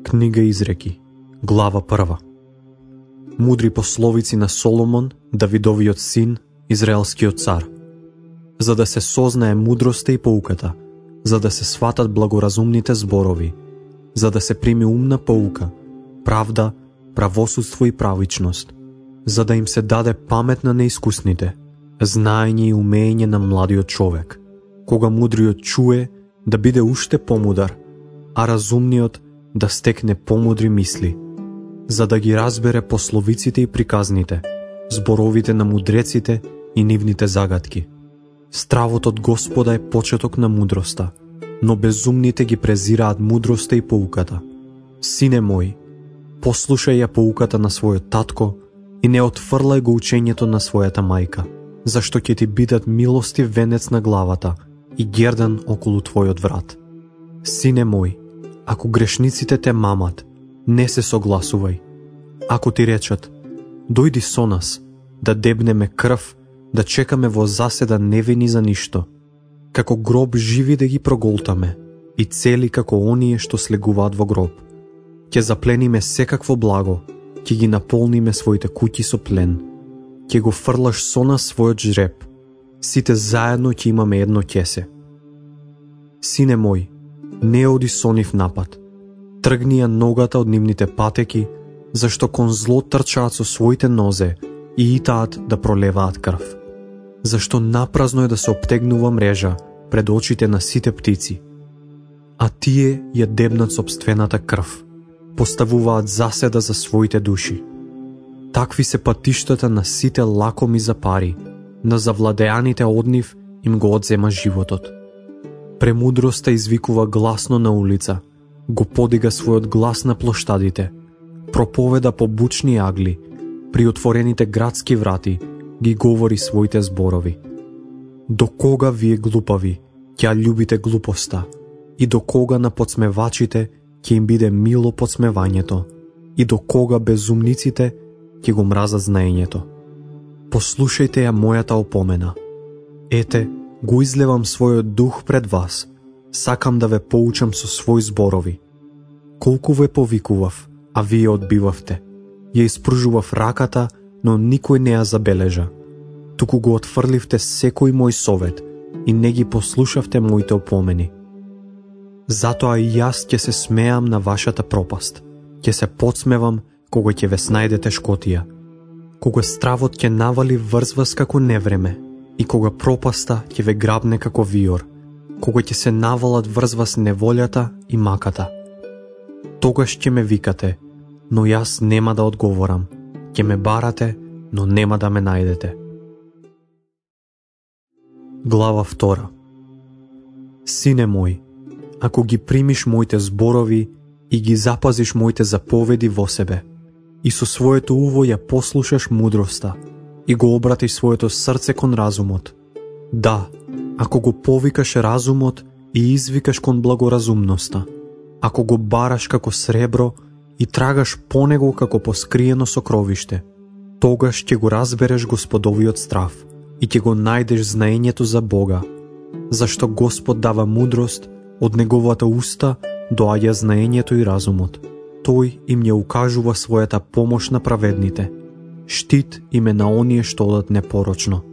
Книга Изреки, глава 1. Мудри пословици на Соломон, Давидовиот син, израелскиот цар. За да се сознае мудроста и поуката, за да се сватат благоразумните зборови, за да се прими умна поука, правда, правосудство и правичност, за да им се даде памет на неискусните, знаење и умење на младиот човек, кога мудриот чуе да биде уште помудар, а разумниот да стекне помудри мисли, за да ги разбере пословиците и приказните, зборовите на мудреците и нивните загадки. Стравот од Господа е почеток на мудроста, но безумните ги презираат мудроста и поуката. Сине мој, послушај ја поуката на својот татко и не отфрлај го учењето на својата мајка, зашто ќе ти бидат милостив венец на главата и гердан околу твојот врат. Сине мој, ако грешниците те мамат, не се согласувај. Ако ти речат, дојди со нас, да дебнеме крв, да чекаме во заседа невини за ништо, како гроб живи да ги проголтаме и цели како оние што слегуваат во гроб. Ќе заплениме секакво благо, ќе ги наполниме своите куќи со плен, ќе го фрлаш со нас својот жреб, сите заедно ќе имаме едно ќесе. Сине мој, не оди со нив напад, тргни ја ногата од нивните патеки, зашто кон зло трчаат со своите нозе и итаат да пролеваат крв. Зашто напразно е да се обтегнува мрежа пред очите на сите птици, а тие ја дебнат сопствената крв, поставуваат заседа за своите души. Такви се патиштата на сите лакоми за пари, на завладеаните од нив им го одзема животот. Премудроста извикува гласно на улица, го подига својот глас на плоштадите, проповеда по бучни агли, при отворените градски врати ги говори своите зборови. До кога вие глупави ќе љубите глупоста и до кога на подсмевачите ќе им биде мило подсмевањето и до кога безумниците ќе го мразат знаењето. Послушајте ја мојата опомена. Ете, го излевам својот дух пред вас, сакам да ве поучам со своји зборови. Колку ве повикував, а вие одбивавте. Ја испружував раката, но никој не ја забележа. Туку го отфрливте секој мој совет и не ги послушавте моите опомени. Затоа и јас ќе се смеам на вашата пропаст, ќе се подсмевам кога ќе ве снајде тешкотија, кога стравот ќе навали врз вас како невреме и кога пропаста ќе ве грабне како виор, кога ќе се навалат врз вас неволјата и маката. Тогаш ќе ме викате, но јас нема да одговорам, ќе ме барате, но нема да ме најдете. Глава 2. Сине мој, ако ги примиш моите зборови и ги запазиш моите заповеди во себе, и со своето уво ја послушаш мудроста и го обратиш своето срце кон разумот, да, ако го повикаш разумот и извикаш кон благоразумноста, ако го бараш како сребро и трагаш по него како по скриено сокровиште, тогаш ќе го разбереш Господовиот страв и ќе го најдеш знаењето за Бога, зашто Господ дава мудрост, од неговата уста доаѓа знаењето и разумот. Тој им ја укажува својата помош на праведните, штит им е на оние што одат непорочно.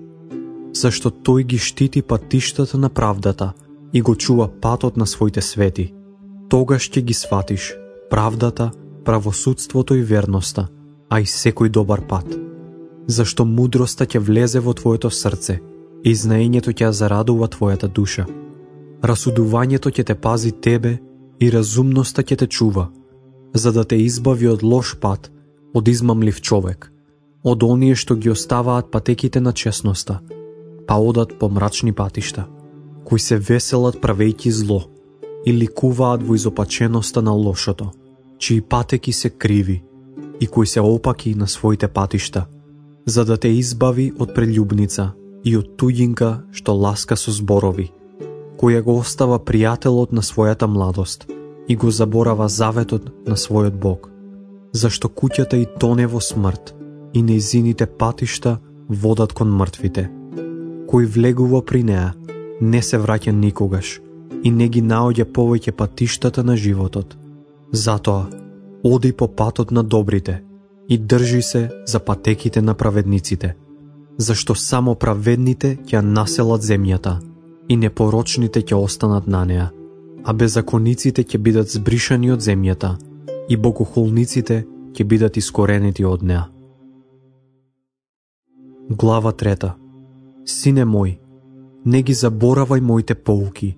Зашто тој ги штити патиштата на правдата и го чува патот на своите свети. Тогаш ќе ги сватиш правдата, правосудството и верноста, а и секој добар пат. Зашто мудроста ќе влезе во твоето срце и знаењето ќе зарадува твојата душа. Расудувањето ќе те пази тебе и разумноста ќе те чува, за да те избави од лош пат, од измамлив човек, од оние што ги оставаат патеките на честноста, па одат по мрачни патишта, кои се веселат правејќи зло и ликуваат во изопаченоста на лошото, чии патеки се криви и кои се опаки на своите патишта, за да те избави од прелюбница и од туѓинка што ласка со зборови, која го остава пријателот на својата младост и го заборава заветот на својот Бог, зашто куќата и тоне во смрт и нејзините патишта водат кон мртвите. Кој влегува при неа, не се враќа никогаш и не ги наоѓа повеќе патиштата на животот. Затоа, Оди по патот на добрите и држи се за патеките на праведниците, зашто само праведните ќе населат земјата и непорочните ќе останат на неа, а беззакониците ќе бидат збришани од земјата и богохулниците ќе бидат искоренети од неа. Глава 3. Сине мој, не ги заборавај моите поуки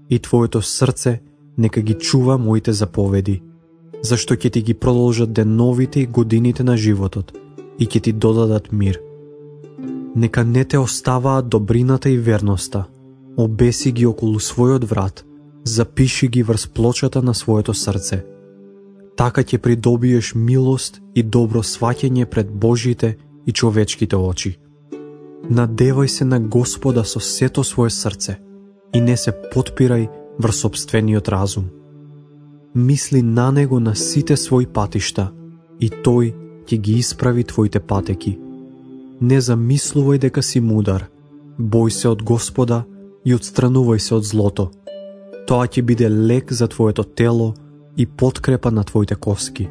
и твоето срце нека ги чува моите заповеди, зашто ќе ти ги продолжат деновите и годините на животот и ќе ти додадат мир. Нека не те оставаат добрината и верноста, обеси ги околу својот врат, запиши ги врз плочата на своето срце. Така ќе придобиеш милост и добро сваќање пред Божите и човечките очи. Надевај се на Господа со сето свое срце и не се потпирај врз сопствениот разум. Мисли на Него на сите своји патишта и Тој ќе ги исправи твоите патеки. Не замислувај дека си мудар, бој се од Господа и отстранувај се од злото. Тоа ќе биде лек за твоето тело и подкрепа на твоите коски.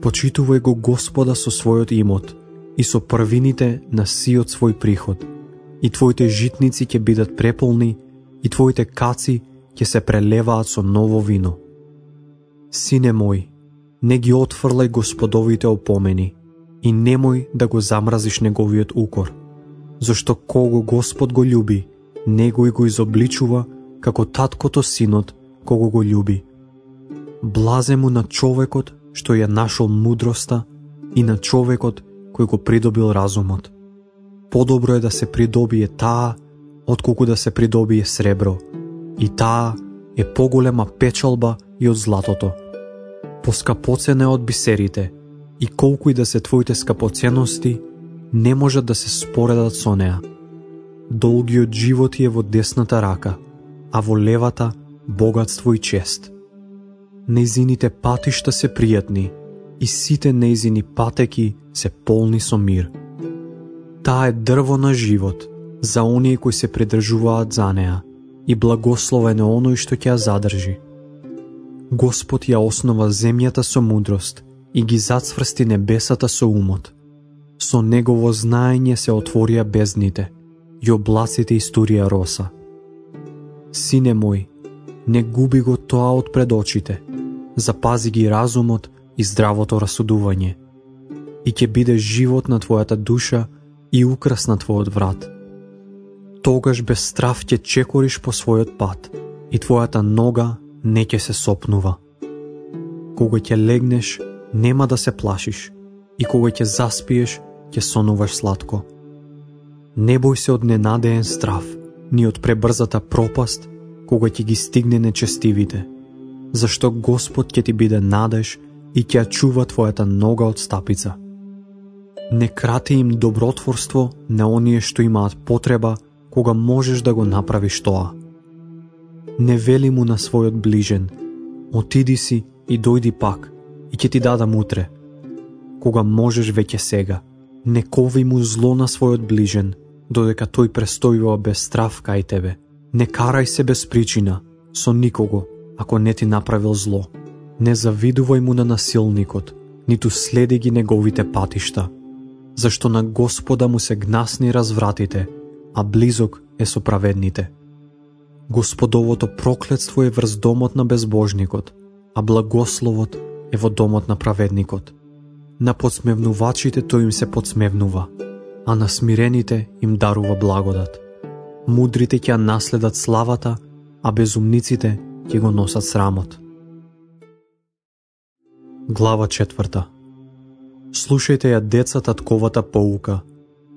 Почитувај го Господа со својот имот и со првините на сиот свој приход, и твоите житници ќе бидат преполни и твоите каци ќе се прелеваат со ново вино. Сине мој, не ги отфрлај Господовите опомени и немој да го замразиш неговиот укор, зашто кого Господ го љуби, него и го изобличува како таткото синот кого го љуби. Блазе му на човекот што ја нашол мудроста и на човекот кој го придобил разумот. Подобро е да се придобие таа, отколку да се придобие сребро, и таа е поголема печалба и од златото. Поскапоцена е од бисерите, и колку и да се твоите скапоценности, не можат да се споредат со неа. Долгиот живот е во десната рака, а во левата богатство и чест. Нејзините патишта се пријатни, и сите нејзини патеки се полни со мир. Таа е дрво на живот за оние кои се придржуваат за неа, и благословен е оној што ќе ја задржи. Господ ја основа земјата со мудрост и ги зацврсти небесата со умот. Со негово знаење се отворија бездните и облаците истурија роса. Сине мој, не губи го тоа од пред очите, запази ги разумот и здравото расудување, и ќе биде живот на твојата душа и украс на твојот врат. Тогаш без страв ќе чекориш по својот пат и твојата нога не ќе се сопнува. Кога ќе легнеш, нема да се плашиш, и кога ќе заспиеш, ќе сонуваш сладко. Не бој се од ненадеен страв, ни од пребрзата пропаст, кога ќе ги стигне нечестивите, зашто Господ ќе ти биде надеж и ќе ја чува твојата нога од стапица. Не крати им добротворство на оние што имаат потреба, кога можеш да го направиш тоа. Не вели му на својот ближен, отиди си и дојди пак, и ќе ти дадам утре. Кога можеш веќе сега, не кови му зло на својот ближен, додека тој престојува без страв кај тебе. Не карај се без причина, со никого, ако не ти направил зло. Не завидувај му на насилникот, ниту следи ги неговите патишта, зашто на Господа му се гнасни развратите, а близок е со праведните. Господовото проклетство е врз домот на безбожникот, а благословот е во домот на праведникот. На подсмевнувачите тој им се подсмевнува, а на смирените им дарува благодат. Мудрите ќе наследат славата, а безумниците ќе го носат срамот. Глава 4. Слушајте ја, деца, татковата поука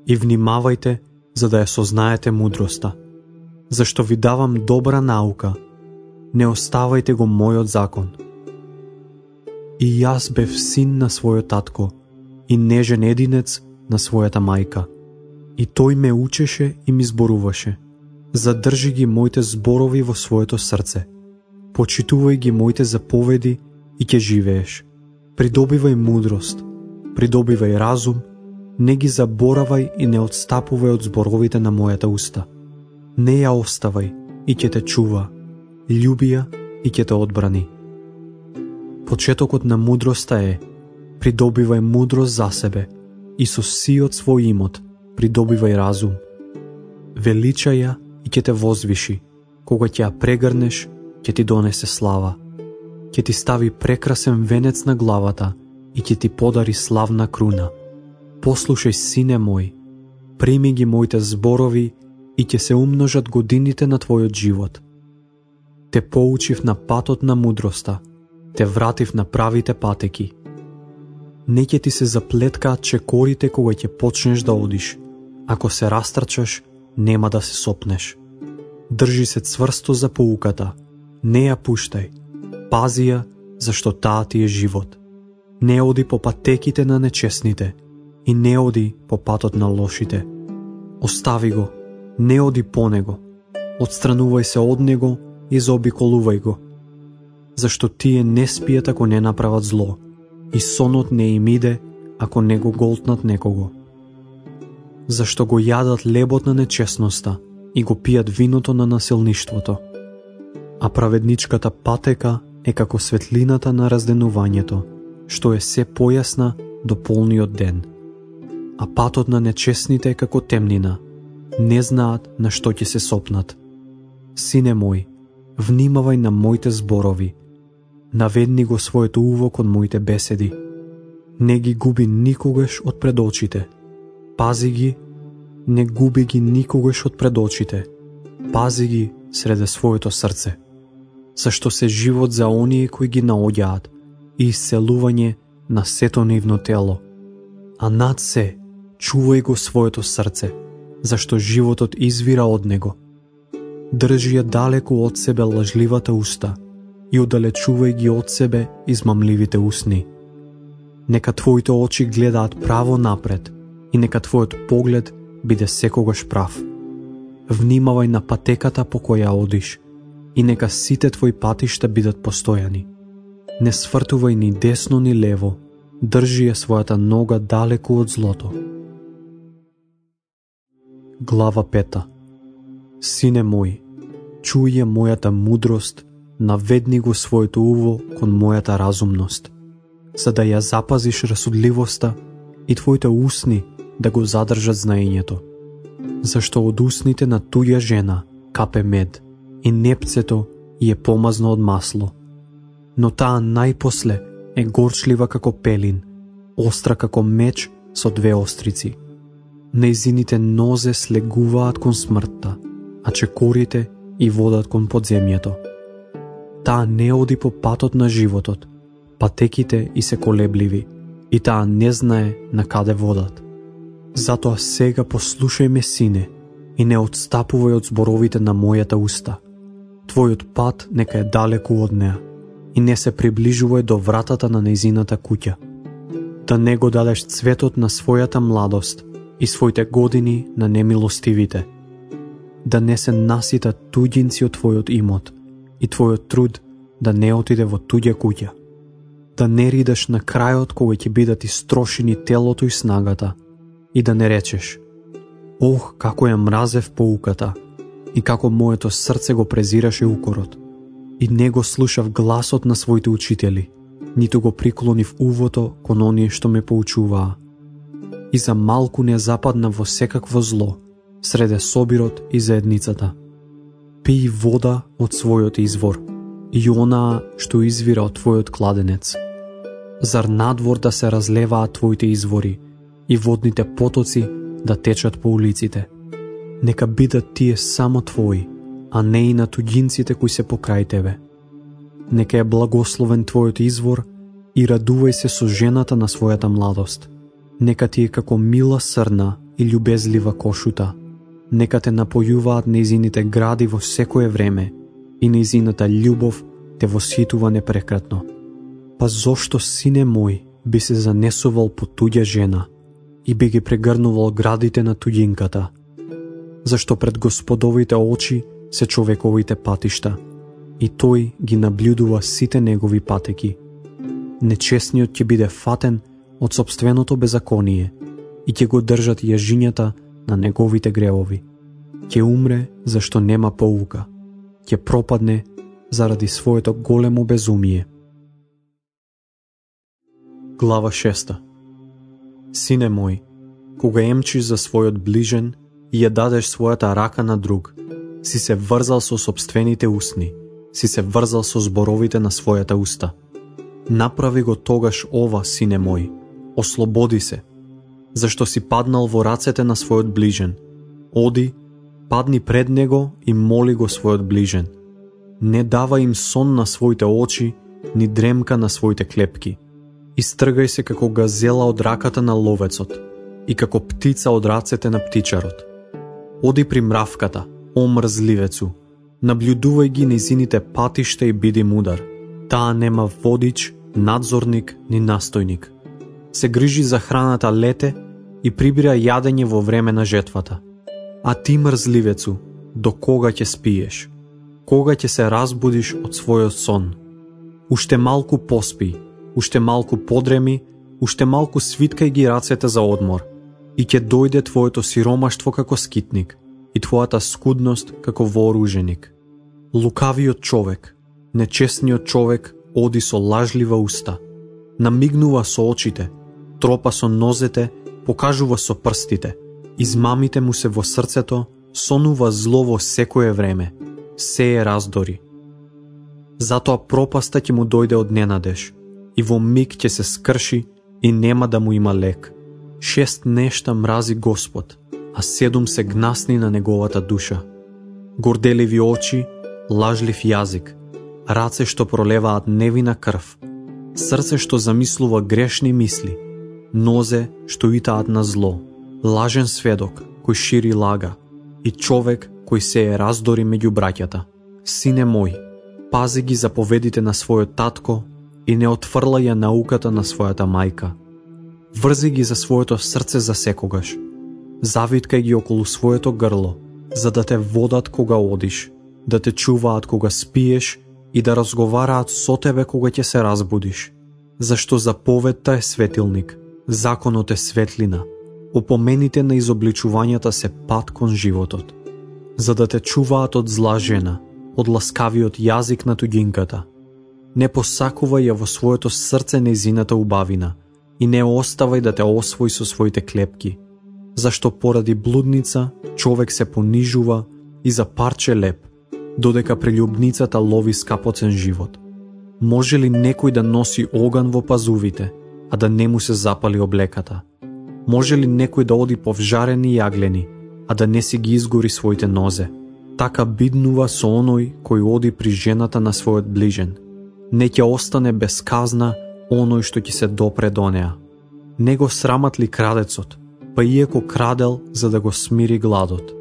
и внимавајте за да ја сознаете мудроста. Зашто ви давам добра наука, не оставајте го мојот закон. И јас бев син на својот татко и нежен единец на својата мајка. И тој ме учеше и ми зборуваше. Задржи ги моите зборови во своето срце. Почитувај ги моите заповеди и ќе живееш. Придобивај мудрост, придобивај разум, не ги заборавај и не отстапувај од зборовите на мојата уста. Не ја оставај и ќе те чува, љуби ја и ќе те одбрани. Почетокот на мудроста е: придобивај мудрост за себе и со сиот свој имот придобивај разум. Величај ја и ќе те возвиши, кога ќе ја прегрнеш, ќе ти донесе слава. Ќе ти стави прекрасен венец на главата и ќе ти подари славна круна. Послушај, сине мој, прими ги моите зборови и ќе се умножат годините на твојот живот. Те поучив на патот на мудроста, те вратив на правите патеки. Не ќе ти се заплеткаат чекорите кога ќе почнеш да одиш. Ако се растрчаш, нема да се сопнеш. Држи се цврсто за поуката, не ја пуштај. Пази ја, зашто таа ти е живот. Не оди по патеките на нечесните и не оди по патот на лошите. Остави го, не оди по него. Отстранувај се од него и заобиколувај го. Зашто тие не спијат ако не направат зло, и сонот не им иде ако не го голтнат некого. Зашто го јадат лебот на нечесноста и го пијат виното на насилништвото. А праведничката патека е како светлината на разденувањето, што е се појасна до полниот ден. А патот на нечесните е како темнина, не знаат на што ќе се сопнат. Сине мој, внимавај на моите зборови, наведни го своето уво кон моите беседи. Не ги губи никогаш од пред очите. Пази ги, не губи ги никогаш од пред очите. Пази ги среде своето срце. Зашто се живот за оние кои ги наоѓаат и исцелување на сето нивно тело. А над се, чувај го своето срце, зашто животот извира од него. Држи ја далеку од себе лажливата уста и оддалечувај ги од себе измамливите усни. Нека твоите очи гледаат право напред и нека твојот поглед биде секогаш прав. Внимавај на патеката по која одиш и нека сите твои патишта бидат постојани. Не свртувај ни десно ни лево, држи ја својата нога далеку од злото. Глава 5. Сине мој, чуј ја мојата мудрост, наведни го своето уво кон мојата разумност, за да ја запазиш расудливоста и твоите усни да го задржат знаењето. Зашто од усните на туја жена капе мед и непцето и е помазно од масло. Но таа најпосле е горчлива како пелин, остра како меч со две острици. Нејзините нозе слегуваат кон смртта, а чекорите и водат кон подземјето. Таа не оди по патот на животот, патеките и се колебливи, и таа не знае на каде водат. Затоа сега послушај ме, сине, и не отстапувај од зборовите на мојата уста. Твојот пат нека е далеку од неа и не се приближувај до вратата на нејзината куќа. Да не го дадеш цветот на својата младост и своите години на немилостивите. Да не се наситат туѓинци од твојот имот и твојот труд да не отиде во туѓа куќа. Да не ридаш на крајот кога ќе бидат истрошени телото и снагата и да не речеш: ох, како ја мразев поуката и како моето срце го презираше укорот. И не го слушав гласот на своите учители, ниту го приклонив увото кон оние што ме поучуваа. И за малку не западна во секакво зло, среде собирот и заедницата. Пии вода од својот извор и онаа што извира од твојот кладенец. Зар надвор да се разлеваат твоите извори и водните потоци да течат по улиците? Нека бидат тие само твои, а не и на туѓинците кои се покрај тебе. Нека е благословен твојот извор и радувај се со жената на својата младост. Нека ти е како мила срна и љубезлива кошута. Нека те напојуваат нејзините гради во секое време и нејзината љубов те восхитува непрекратно. Па зошто, сине мој, би се занесувал по туѓа жена и би ги прегрнувал градите на туѓинката? Зашто пред Господовите очи се човековите патишта и тој ги наблюдува сите негови патеки. Нечесниот ќе биде фатен од сопственото беззаконие и ќе го држат јажињата на неговите гревови. Ќе умре зашто нема поука, ќе пропадне заради своето големо безумие. Глава 6. Сине мој, кога емчиш за својот ближен и ја дадеш својата рака на друг, си се врзал со собствените усни, си се врзал со зборовите на својата уста. Направи го тогаш ова, сине мој, ослободи се, зашто си паднал во рацете на својот ближен. Оди, падни пред него и моли го својот ближен. Не дава им сон на своите очи, ни дремка на своите клепки. Истргај се како газела од раката на ловецот и како птица од рацете на птичарот. Оди при мравката, о мрзливецу, наблюдувај ги низините патишта и биди мудар. Таа нема водич, надзорник ни настојник. Се грижи за храната лете и прибира јадење во време на жетвата. А ти, мрзливецу, до кога ќе спиеш? Кога ќе се разбудиш од својот сон? Уште малку поспи, уште малку подреми, уште малку свиткај ги рацете за одмор, и ќе дојде твоето сиромаштво како скитник и твојата скудност како вооруженик. Лукавиот човек, нечестниот човек оди со лажлива уста, намигнува со очите, тропа со нозете, покажува со прстите, измамите му се во срцето, сонува зло во секое време, сее раздори. Затоа пропаста ќе му дојде од ненадеж, и во миг ќе се скрши и нема да му има лек. 6 нешта мрази Господ, а 7 се гнасни на неговата душа. Горделиви очи, лажлив јазик, раце што пролеваат невина крв, срце што замислува грешни мисли, нозе што итаат на зло, лажен сведок кој шири лага и човек кој сее раздори меѓу браќата. Сине мој, пази ги заповедите на својот татко и не отфрлај ја науката на својата мајка. Врзи ги за своето срце за секогаш. Завиткај ги околу своето грло, за да те водат кога одиш, да те чуваат кога спиеш и да разговараат со тебе кога ќе се разбудиш. Зашто заповедта е светилник, законот е светлина, опомените на изобличувањата се пат кон животот. За да те чуваат од зла жена, од ласкавиот јазик на туѓинката. Не посакувај ја во своето срце нејзината убавина и не оставај да те освои со своите клепки, зашто поради блудница човек се понижува и за парче леп, додека прелюбницата лови скапоцен живот. Може ли некој да носи оган во пазувите, а да не му се запали облеката? Може ли некој да оди по вжарени јаглени, а да не си ги изгори своите нозе? Така биднува со оној кој оди при жената на својот ближен. Не ќе остане без казна оној што ќе се допре до неа. Не го срамат ли крадецот, па иеко крадел за да го смири гладот?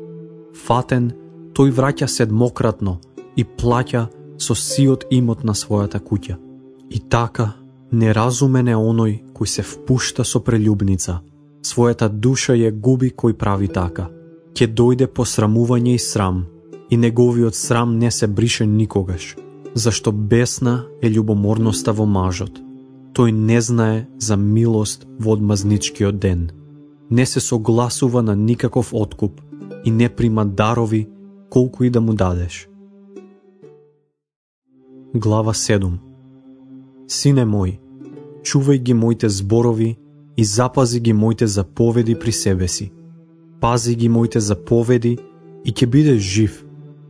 Фатен, тој враќа седмократно и плаќа со сиот имот на својата куќа. И така, неразумен е оној кој се впушта со прелюбница. Својата душа ја губи кој прави така. Ќе дојде посрамување и срам, и неговиот срам не се брише никогаш, зашто бесна е љубоморноста во мажот. Тој не знае за милост во одмазничкиот ден. Не се согласува на никаков откуп и не прима дарови колку и да му дадеш. Глава 7. Сине мој, чувај ги моите зборови и запази ги моите заповеди при себе си. Пази ги моите заповеди и ќе бидеш жив,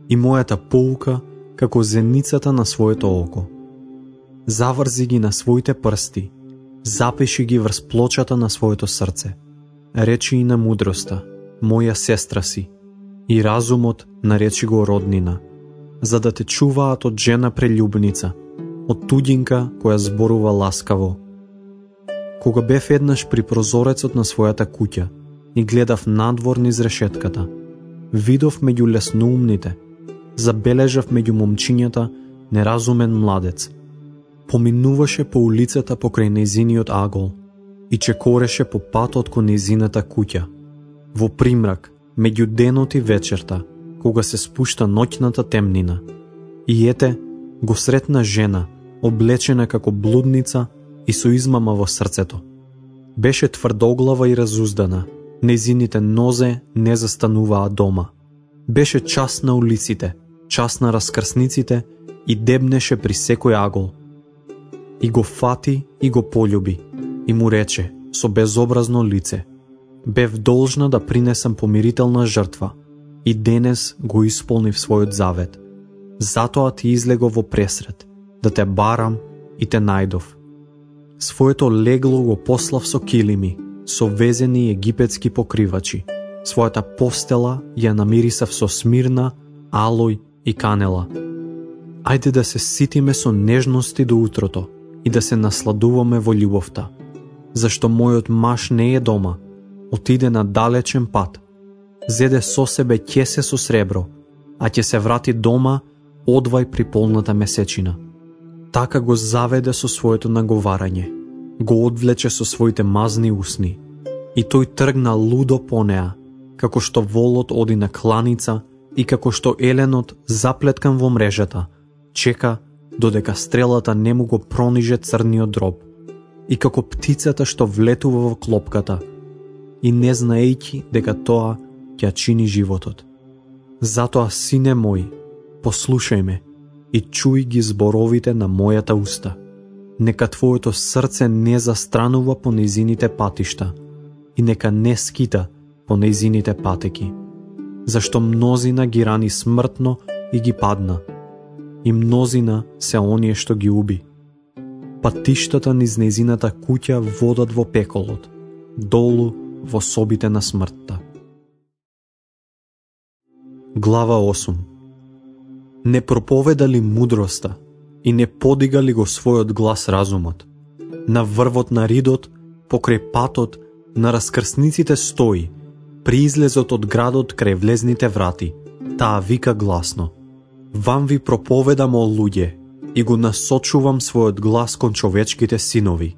и мојата поука како зеницата на своето око. Заврзи ги на своите прсти, запиши ги врз плочата на своето срце. Речи и на мудроста, моја сестра си, и разумот наречи го роднина, за да те чуваат од жена прелюбница, од туѓинка која зборува ласкаво. Кога бев еднаш при прозорецот на својата куќа и гледав надвор низ решетката, видов меѓу лесноумните, забележав меѓу момчињата неразумен младец. Поминуваше по улицата покрај нејзиниот агол и чекореше по патот кон нејзината куќа. Во примрак, меѓу денот и вечерта, кога се спушта ноќната темнина. И ете, го сретна жена, облечена како блудница и со измама во срцето. Беше тврдоглава и разуздана, нејзините нозе не застануваа дома. Беше час на улиците, час на раскрсниците и дебнеше при секој агол. И го фати и го полюби. и му рече со безобразно лице: бев должна да принесам помирителна жртва и денес го исполнив својот завет. Затоа ти излегов во пресред, да те барам и те најдов. Своето легло го послав со килими, со везени египетски покривачи. Својата постела ја намирисав со смирна, алој и канела. Ајде да се ситиме со нежности до утрото и да се насладуваме во љубовта. Зашто мојот маж не е дома, отиде на далечен пат. Зеде со себе ќесе со сребро, а ќе се врати дома одвај при полната месечина. Така го заведе со своето наговарање, го одвлече со своите мазни усни, и тој тргна лудо по неа, како што волот оди на кланица и како што еленот заплеткан во мрежата чека додека стрелата не му го прониже црниот дроб, и како птицата што влетува во клопката и не знаејќи дека тоа ќе чини животот. Затоа, сине мој, послушај ме и чуј ги зборовите на мојата уста. Нека твоето срце не застранува по нејзините патишта и нека не скита по нејзините патеки. Зашто мнозина ги рани смртно и ги падна, и мнозина се оние што ги уби. Патиштата низ нејзината куќа водат во пеколот, долу во собите на смртта. Глава 8. Не проповеда ли мудроста и не подига ли го својот глас разумот? На врвот на ридот, покрај патот, на раскрсниците стои, при излезот од градот крај влезните врати, таа вика гласно: вам ви проповедам, о луѓе, и го насочувам својот глас кон човечките синови.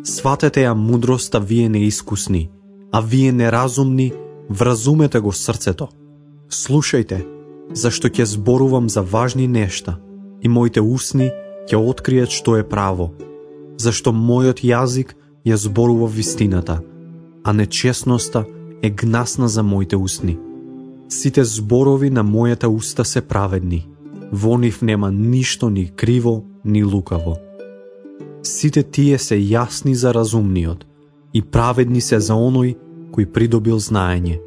Сватете ја мудроста, вие неискусни, а вие неразумни, вразумете го срцето. Слушајте, зашто ќе зборувам за важни нешта, и моите усни ќе откријат што е право, зашто мојот јазик ја зборува вистината, а нечесноста е гнасна за моите усни. Сите зборови на мојата уста се праведни, во нив нема ништо ни криво, ни лукаво. Сите тие се јасни за разумниот и праведни се за оној кој придобил знаење.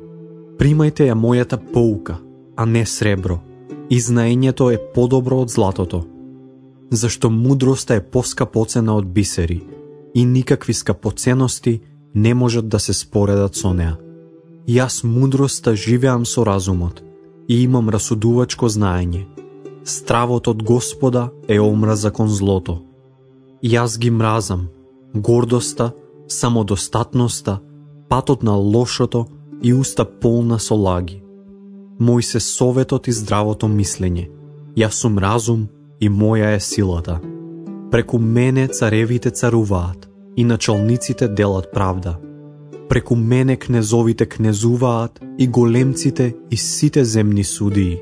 Примајте ја мојата поука, а не сребро, и знаењето е подобро од златото. Зашто мудроста е поскапоцена од бисери, и никакви скапоценности не можат да се споредат со неа. Јас мудроста живеам со разумот и имам расудувачко знаење. Стравот од Господа е омраза кон злото. Јас ги мразам гордоста, самодостатноста, патот на лошото и уста полна со лаги. Мој се советот и здравото мислење. Јас сум разум и моја е силата. Преку мене царевите царуваат и началниците делат правда. Преку мене кнезовите кнезуваат и големците и сите земни судии.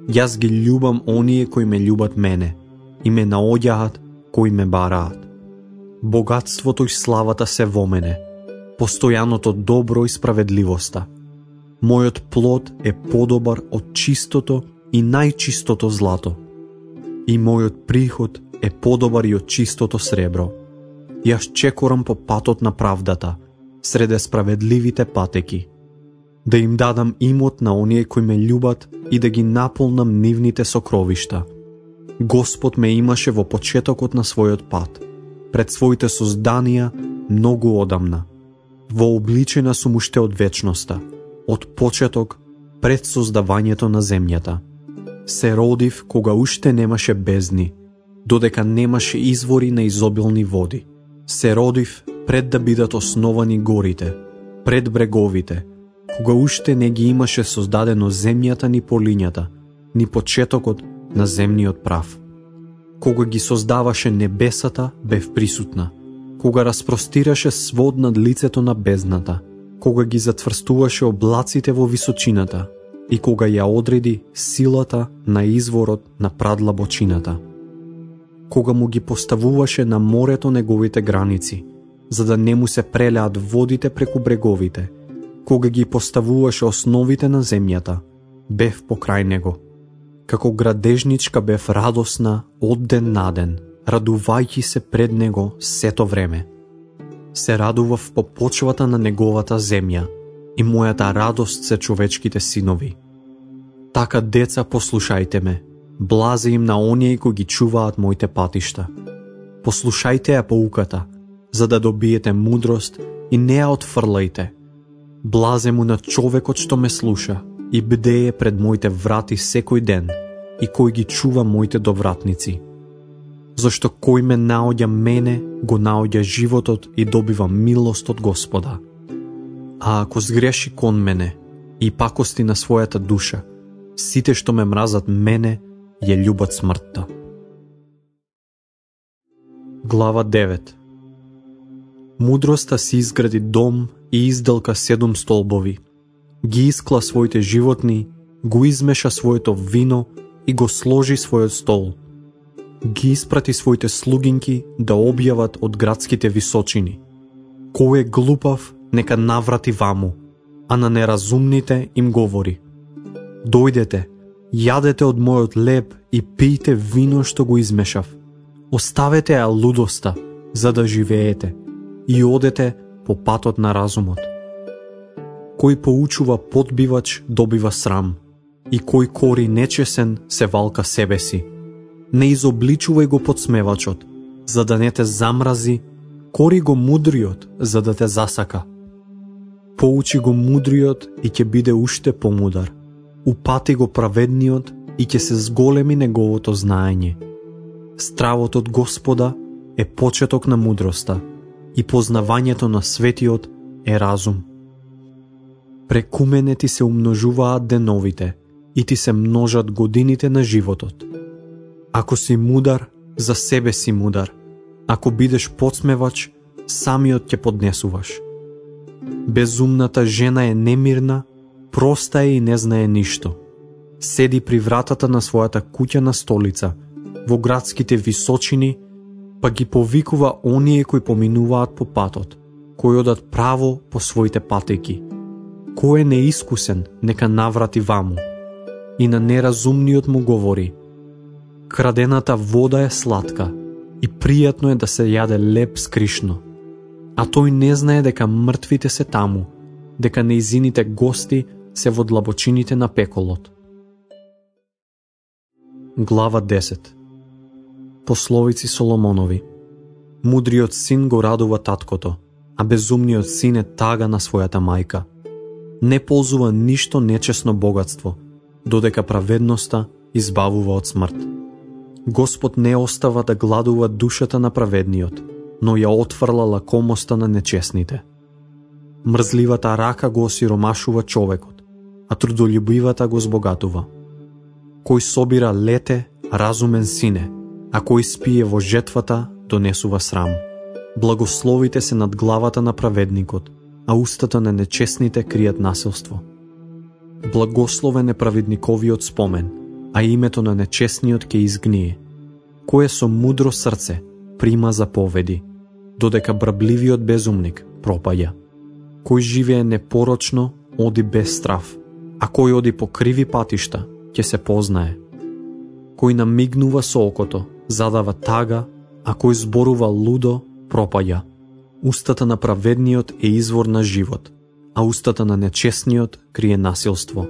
Јас ги љубам оние кои ме љубат мене и ме наоѓаат кои ме бараат. Богатството и славата се во мене, постојаното добро и справедливоста. Мојот плод е подобар од чистото и најчистото злато. И мојот приход е подобар и од чистото сребро. Јас чекорам по патот на правдата, среде справедливите патеки, да им дадам имот на оние кои ме љубат и да ги наполнам нивните сокровишта. Господ ме имаше во почетокот на својот пат, пред своите созданија многу одамна. Вообличена сум уште од вечноста, од почеток пред создавањето на земјата. Се родив кога уште немаше бездни, додека немаше извори на изобилни води. Се родив пред да бидат основани горите, пред бреговите, кога уште не ги имаше создадено земјата ни полињата, ни почетокот на земниот прав. Кога ги создаваше небесата, бев присутна. Кога распростираше свод над лицето на бездната, кога ги затврстуваше облаците во височината и кога ја одреди силата на изворот на прадлабочината. Кога му ги поставуваше на морето неговите граници, за да не му се прелеат водите преку бреговите, кога ги поставуваше основите на земјата, бев покрај него. Како градежничка бев радосна од ден на ден, радувајќи се пред него сето време. се радував по почвата на неговата земја и мојата радост се човечките синови. Така, деца, послушајте ме, блазе им на оние кои ги чуваат моите патишта. Послушајте ја поуката, за да добиете мудрост и не ја отфрлајте. Блазе му на човекот што ме слуша и бдее пред моите врати секој ден и кој ги чува моите довратници. Зашто кој ме наоѓа мене, го наоѓа животот и добива милост од Господа. А ако сгреши кон мене и пакости на својата душа, сите што ме мразат мене, ја љубат смртта. Глава 9. Мудроста си изгради дом и изделка 7 столбови. Ги искла своите животни, го измеша своето вино и го сложи својот стол. Ги испрати своите слугинки да објават од градските височини. Кој е глупав, нека наврати ваму, а на неразумните им говори: дојдете, јадете од мојот леб и пијте вино што го измешав. Оставете ја лудоста, за да живеете, и одете по патот на разумот. Кој поучува подбивач, добива срам, и кој кори нечесен, се валка себе си. Не изобличувај го подсмевачот, за да не те замрази, кори го мудриот, за да те засака. Поучи го мудриот и ќе биде уште помудар. Упати го праведниот и ќе се зголеми неговото знаење. Стравот од Господа е почеток на мудроста и познавањето на светиот е разум. Преку мене ти се умножуваат деновите и ти се множат годините на животот. Ако си мудар, за себе си мудар. Ако бидеш подсмевач, самиот ќе поднесуваш. Безумната жена е немирна, проста е и не знае ништо. Седи при вратата на својата куќа на столица, во градските височини, па ги повикува оние кои поминуваат по патот, кои одат право по своите патеки. Кој е неискусен, нека наврати ваму. И на неразумниот му говори: крадената вода е сладка и пријатно е да се јаде леб скришно. А тој не знае дека мртвите се таму, дека неизините гости се во длабочините на пеколот. Глава 10. Пословици Соломонови. Мудриот син го радува таткото, а безумниот син е тага на својата мајка. Не ползува ништо нечесно богатство, додека праведноста избавува од смрт. Господ не остава да гладува душата на праведниот, но ја отфрла лакомоста на нечесните. Мрзливата рака го осиромашува човекот, а трудолюбивата го збогатува. Кој собира лете, разумен сине, а кој спие во жетвата, донесува срам. Благословите се над главата на праведникот, а устата на нечесните кријат насилство. Благословен е праведниковиот спомен, а името на нечесниот ќе изгние. Кој со мудро срце прима заповеди, додека брабливиот безумник пропаѓа. Кој живее непорочно, оди без страв, а кој оди по криви патишта, ќе се познае. Кој намигнува со окото, задава тага, а кој зборува лудо, пропаѓа. Устата на праведниот е извор на живот, а устата на нечесниот крие насилство.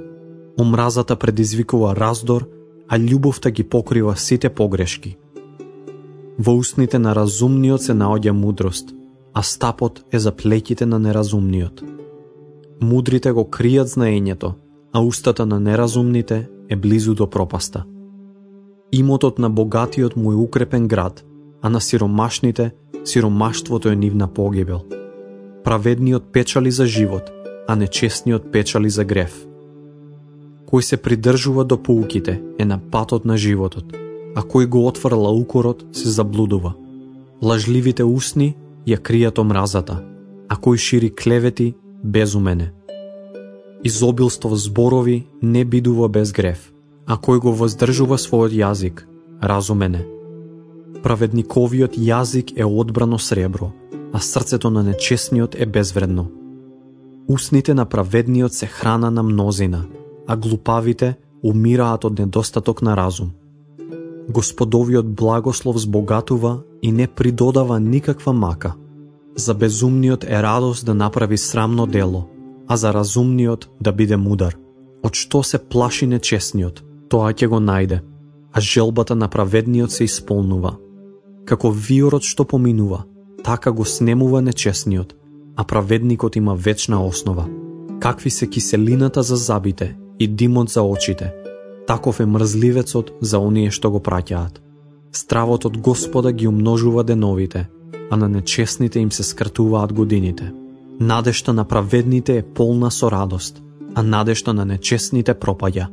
Омразата предизвикува раздор, а љубовта ги покрива сите погрешки. Во устните на разумниот се наоѓа мудрост, а стапот е за плеќите на неразумниот. Мудрите го кријат знаењето, а устата на неразумните е близу до пропаста. Имотот на богатиот му е укрепен град, а на сиромашните сиромаштвото е нивна погибел. Праведниот печали за живот, а нечестниот печали за грев. Кој се придржува до поуките е на патот на животот, а кој го отфрла укорот се заблудува. Лажливите усни ја кријат омразата, а кој шири клевети безумен е. Изобилство зборови не бидува без грев, а кој го воздржува својот јазик, разумен е. Праведниковиот јазик е одбрано сребро, а срцето на нечесниот е безвредно. Усните на праведниот се храна на мнозина, а глупавите умираат од недостаток на разум. Господовиот благослов збогатува и не придодава никаква мака. За безумниот е радост да направи срамно дело, а за разумниот да биде мудар. Од што се плаши нечесниот, тоа ќе го најде, а желбата на праведниот се исполнува. Како виорот што поминува, така го снемува нечесниот, а праведникот има вечна основа. Какви се киселината за забите и димот за очите, таков е мрзливецот за оние што го праќаат. Стравот од Господа ги умножува деновите, а на нечесните им се скратуваат годините. Надежта на праведните е полна со радост, а надежта на нечесните пропаѓа.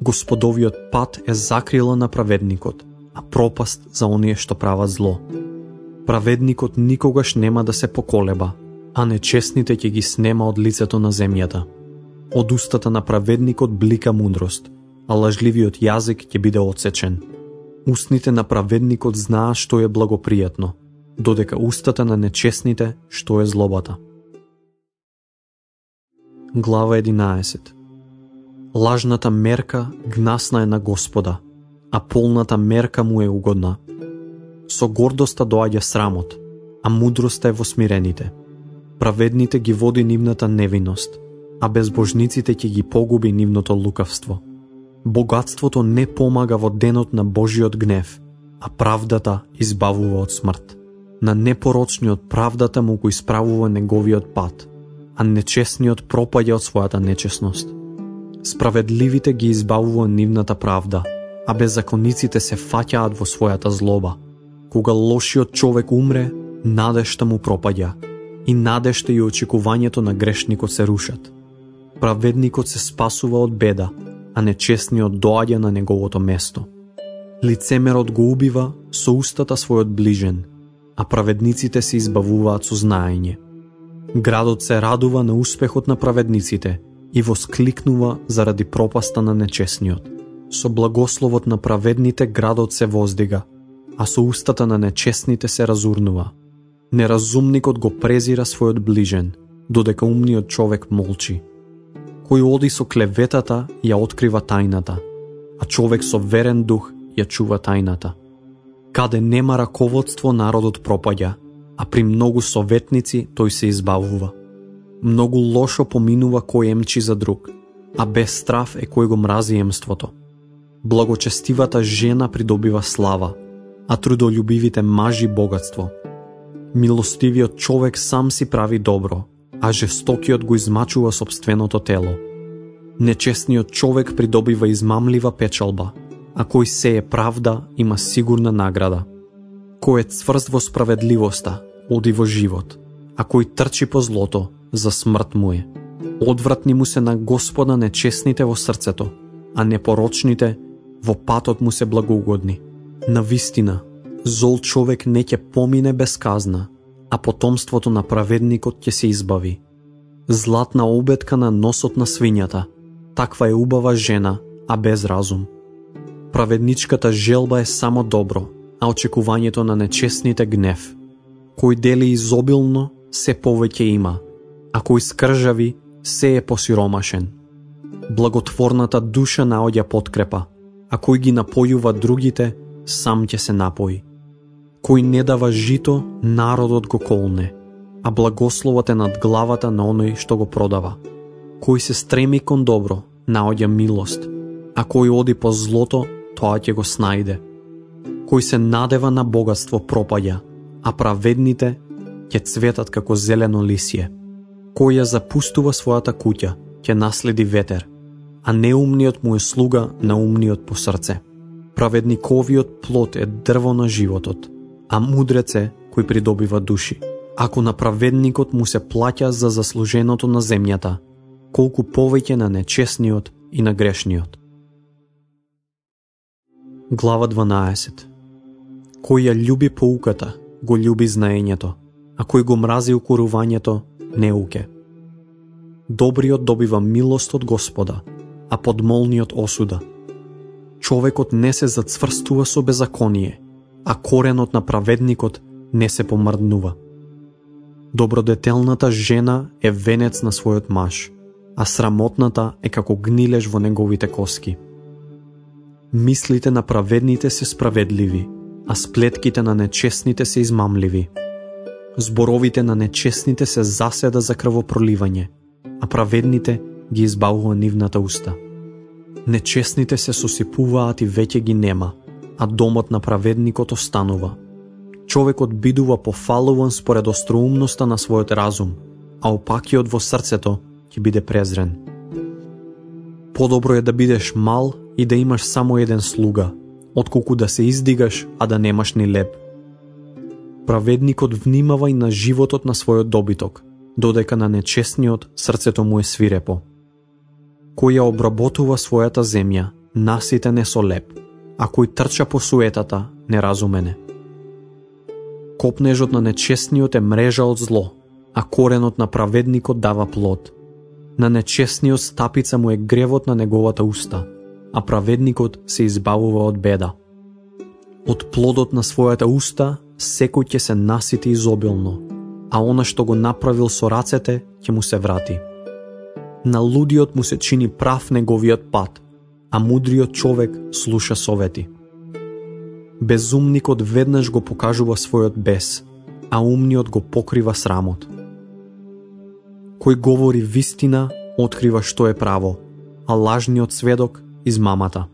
Господовиот пат е закрила на праведникот, а пропаст за оние што прават зло. Праведникот никогаш нема да се поколеба, а нечесните ќе ги снема од лицето на земјата. Од устата на праведникот блика мудрост, а лажливиот јазик ќе биде отсечен. Устните на праведникот знаат што е благопријатно, додека устата на нечесните што е злобата. Глава 11. Лажната мерка гнасна е на Господа, а полната мерка му е угодна. Со гордоста доаѓа срамот, а мудроста е во смирените. Праведните ги води нивната невиност, а безбожниците ќе ги погуби нивното лукавство. Богатството не помага во денот на Божиот гнев, а правдата избавува од смрт. На непорочниот правдата му го исправува неговиот пат, а нечесниот пропаѓа од својата нечесност. Справедливите ги избавува нивната правда, а беззакониците се фаќаат во својата злоба. Кога лошиот човек умре, надежта му пропаѓа, и надежта и очекувањето на грешникот се рушат. Праведникот се спасува од беда, а нечесниот доаѓа на неговото место. Лицемерот го убива со устата својот ближен, а праведниците се избавуваат со знаење. Градот се радува на успехот на праведниците и воскликнува заради пропаста на нечесниот. Со благословот на праведните градот се воздига, а со устата на нечесните се разурнува. Неразумникот го презира својот ближен, додека умниот човек молчи. Кој оди со клеветата ја открива тајната, а човек со верен дух ја чува тајната. Каде нема раководство народот пропаѓа, а при многу советници тој се избавува. Многу лошо поминува кој емчи за друг, а без страв е кој го мрази емството. Благочестивата жена придобива слава, а трудолюбивите мажи богатство. Милостивиот човек сам си прави добро, а жестокиот го измачува сопственото тело. Нечесниот човек придобива измамлива печалба, а кој сее правда има сигурна награда. Кој е цврст во справедливоста, оди во живот, а кој трчи по злото, за смрт му е. Одвратни му се на Господа нечесните во срцето, а непорочните во патот му се благоугодни. Навистина, зол човек не ќе помине без казна, а потомството на праведникот ќе се избави. Златна обетка на носот на свињата, таква е убава жена, а без разум. Праведничката желба е само добро, а очекувањето на нечесните гнев. Кој дели изобилно, се повеќе има, а кој скржави, се е посиромашен. Благотворната душа наоѓа подкрепа, а кој ги напојува другите, сам ќе се напои. Кој не дава жито, народот го колне, а благословот е над главата на оној што го продава. Кој се стреми кон добро, наоѓа милост, а кој оди по злото, тоа ќе го снајде. Кој се надева на богатство пропаѓа, а праведните ќе цветат како зелено лисје. Кој ја запустува својата куќа, ќе наследи ветер, а неумниот му е слуга на умниот по срце. Праведниковиот плод е дрво на животот, а мудрец е кој придобива души. Ако на праведникот му се плаќа за заслуженото на земјата, колку повеќе на нечесниот и на грешниот. Глава 12. Кој ја љуби поуката, го љуби знаењето, а кој го мрази укорувањето, неуке. Добриот добива милост од Господа, а подмолниот осуда. Човекот не се зацврстува со беззаконие, а коренот на праведникот не се помрднува. Добродетелната жена е венец на својот маж, а срамотната е како гнилеж во неговите коски. Мислите на праведните се справедливи, а сплетките на нечестните се измамливи. Зборовите на нечестните се заседа за крвопроливање, а праведните ги избавува нивната уста. Нечестните се сосипуваат и веќе ги нема, а домот на праведникот останува. Човекот бидува пофалуван според остроумноста на својот разум, а опакиот во срцето ќе биде презрен. Подобро е да бидеш мал и да имаш само еден слуга, отколку да се издигаш, а да немаш ни леб. Праведникот внимава и на животот на својот добиток, додека на нечестниот срцето му е свирепо. Кој ја обработува својата земја, наситен е со леб, а кој трча по суетата, неразумен е. Копнежот на нечестниот е мрежа од зло, а коренот на праведникот дава плод. На нечестниот стапица му е гревот на неговата уста, а праведникот се избавува од беда. Од плодот на својата уста секој ќе се насити изобилно, а она што го направил со рацете ќе му се врати. На лудиот му се чини прав неговиот пат, а мудриот човек слуша совети. Безумникот веднаш го покажува својот бес, а умниот го покрива срамот. Кој говори вистина, открива што е право, а лажниот сведок измамата.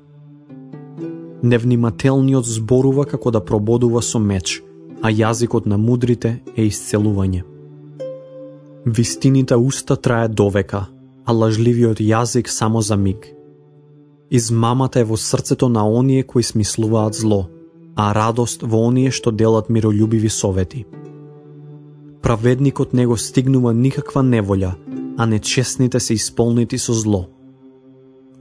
Невнимателниот зборува како да прободува со меч, а јазикот на мудрите е исцелување. Вистините уста трае довека, а лажливиот јазик само за миг. Измамата е во срцето на оние кои смислуваат зло, а радост во оние што делат миролюбиви совети. Праведникот не го стигнува никаква неволја, а нечестните се исполнети со зло.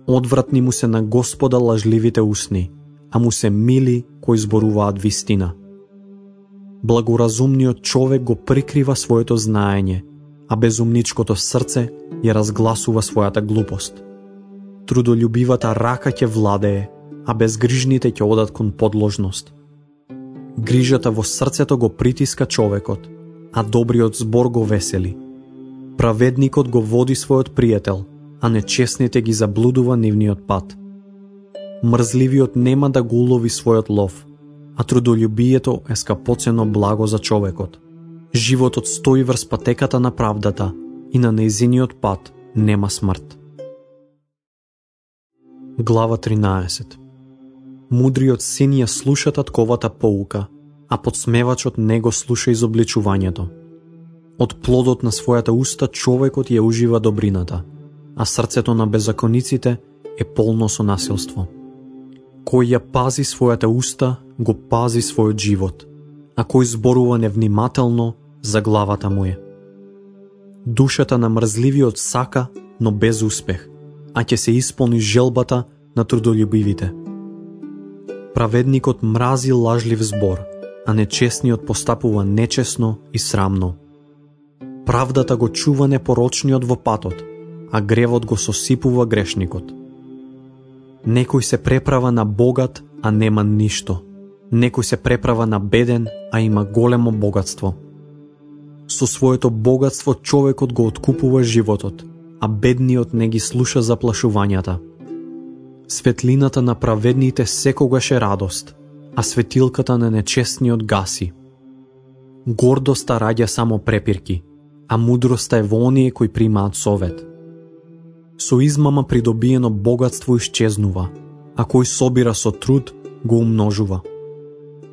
Одвратни му се на Господа лажливите усни, а му се мили кои зборуваат вистина. Благоразумниот човек го прикрива своето знаење, а безумничкото срце ја разгласува својата глупост. Трудолюбивата рака ќе владее, а безгрижните ќе одат кон подложност. Грижата во срцето го притиска човекот, а добриот збор го весели. Праведникот го води својот пријател, а нечестните ги заблудува нивниот пат. Мрзливиот нема да го улови својот лов, а трудолюбието е скапоцено благо за човекот. Животот стои врз патеката на правдата и на нејзиниот пат нема смрт. Глава 13. Мудриот син ја слуша татковата поука, а подсмевачот не го слуша изобличувањето. Од плодот на својата уста човекот ја ужива добрината, а срцето на беззакониците е полно со насилство. Кој ја пази својата уста, го пази својот живот, а кој зборува невнимателно, за главата му е. Душата на мрзливиот сака, но без успех, а ќе се исполни желбата на трудолюбивите. Праведникот мрази лажлив збор, а нечестниот постапува нечесно и срамно. Правдата го чува непорочниот во патот, а гревот го сосипува грешникот. Некој се преправа на богат, а нема ништо. Некој се преправа на беден, а има големо богатство. Со своето богатство човекот го откупува животот, а бедниот не ги слуша заплашувањата. Светлината на праведните секогаш е радост, а светилката на нечестниот гаси. Гордоста раѓа само препирки, а мудроста е во оние кои примаат совет. Со измама придобиено богатство исчезнува, а кој собира со труд го умножува.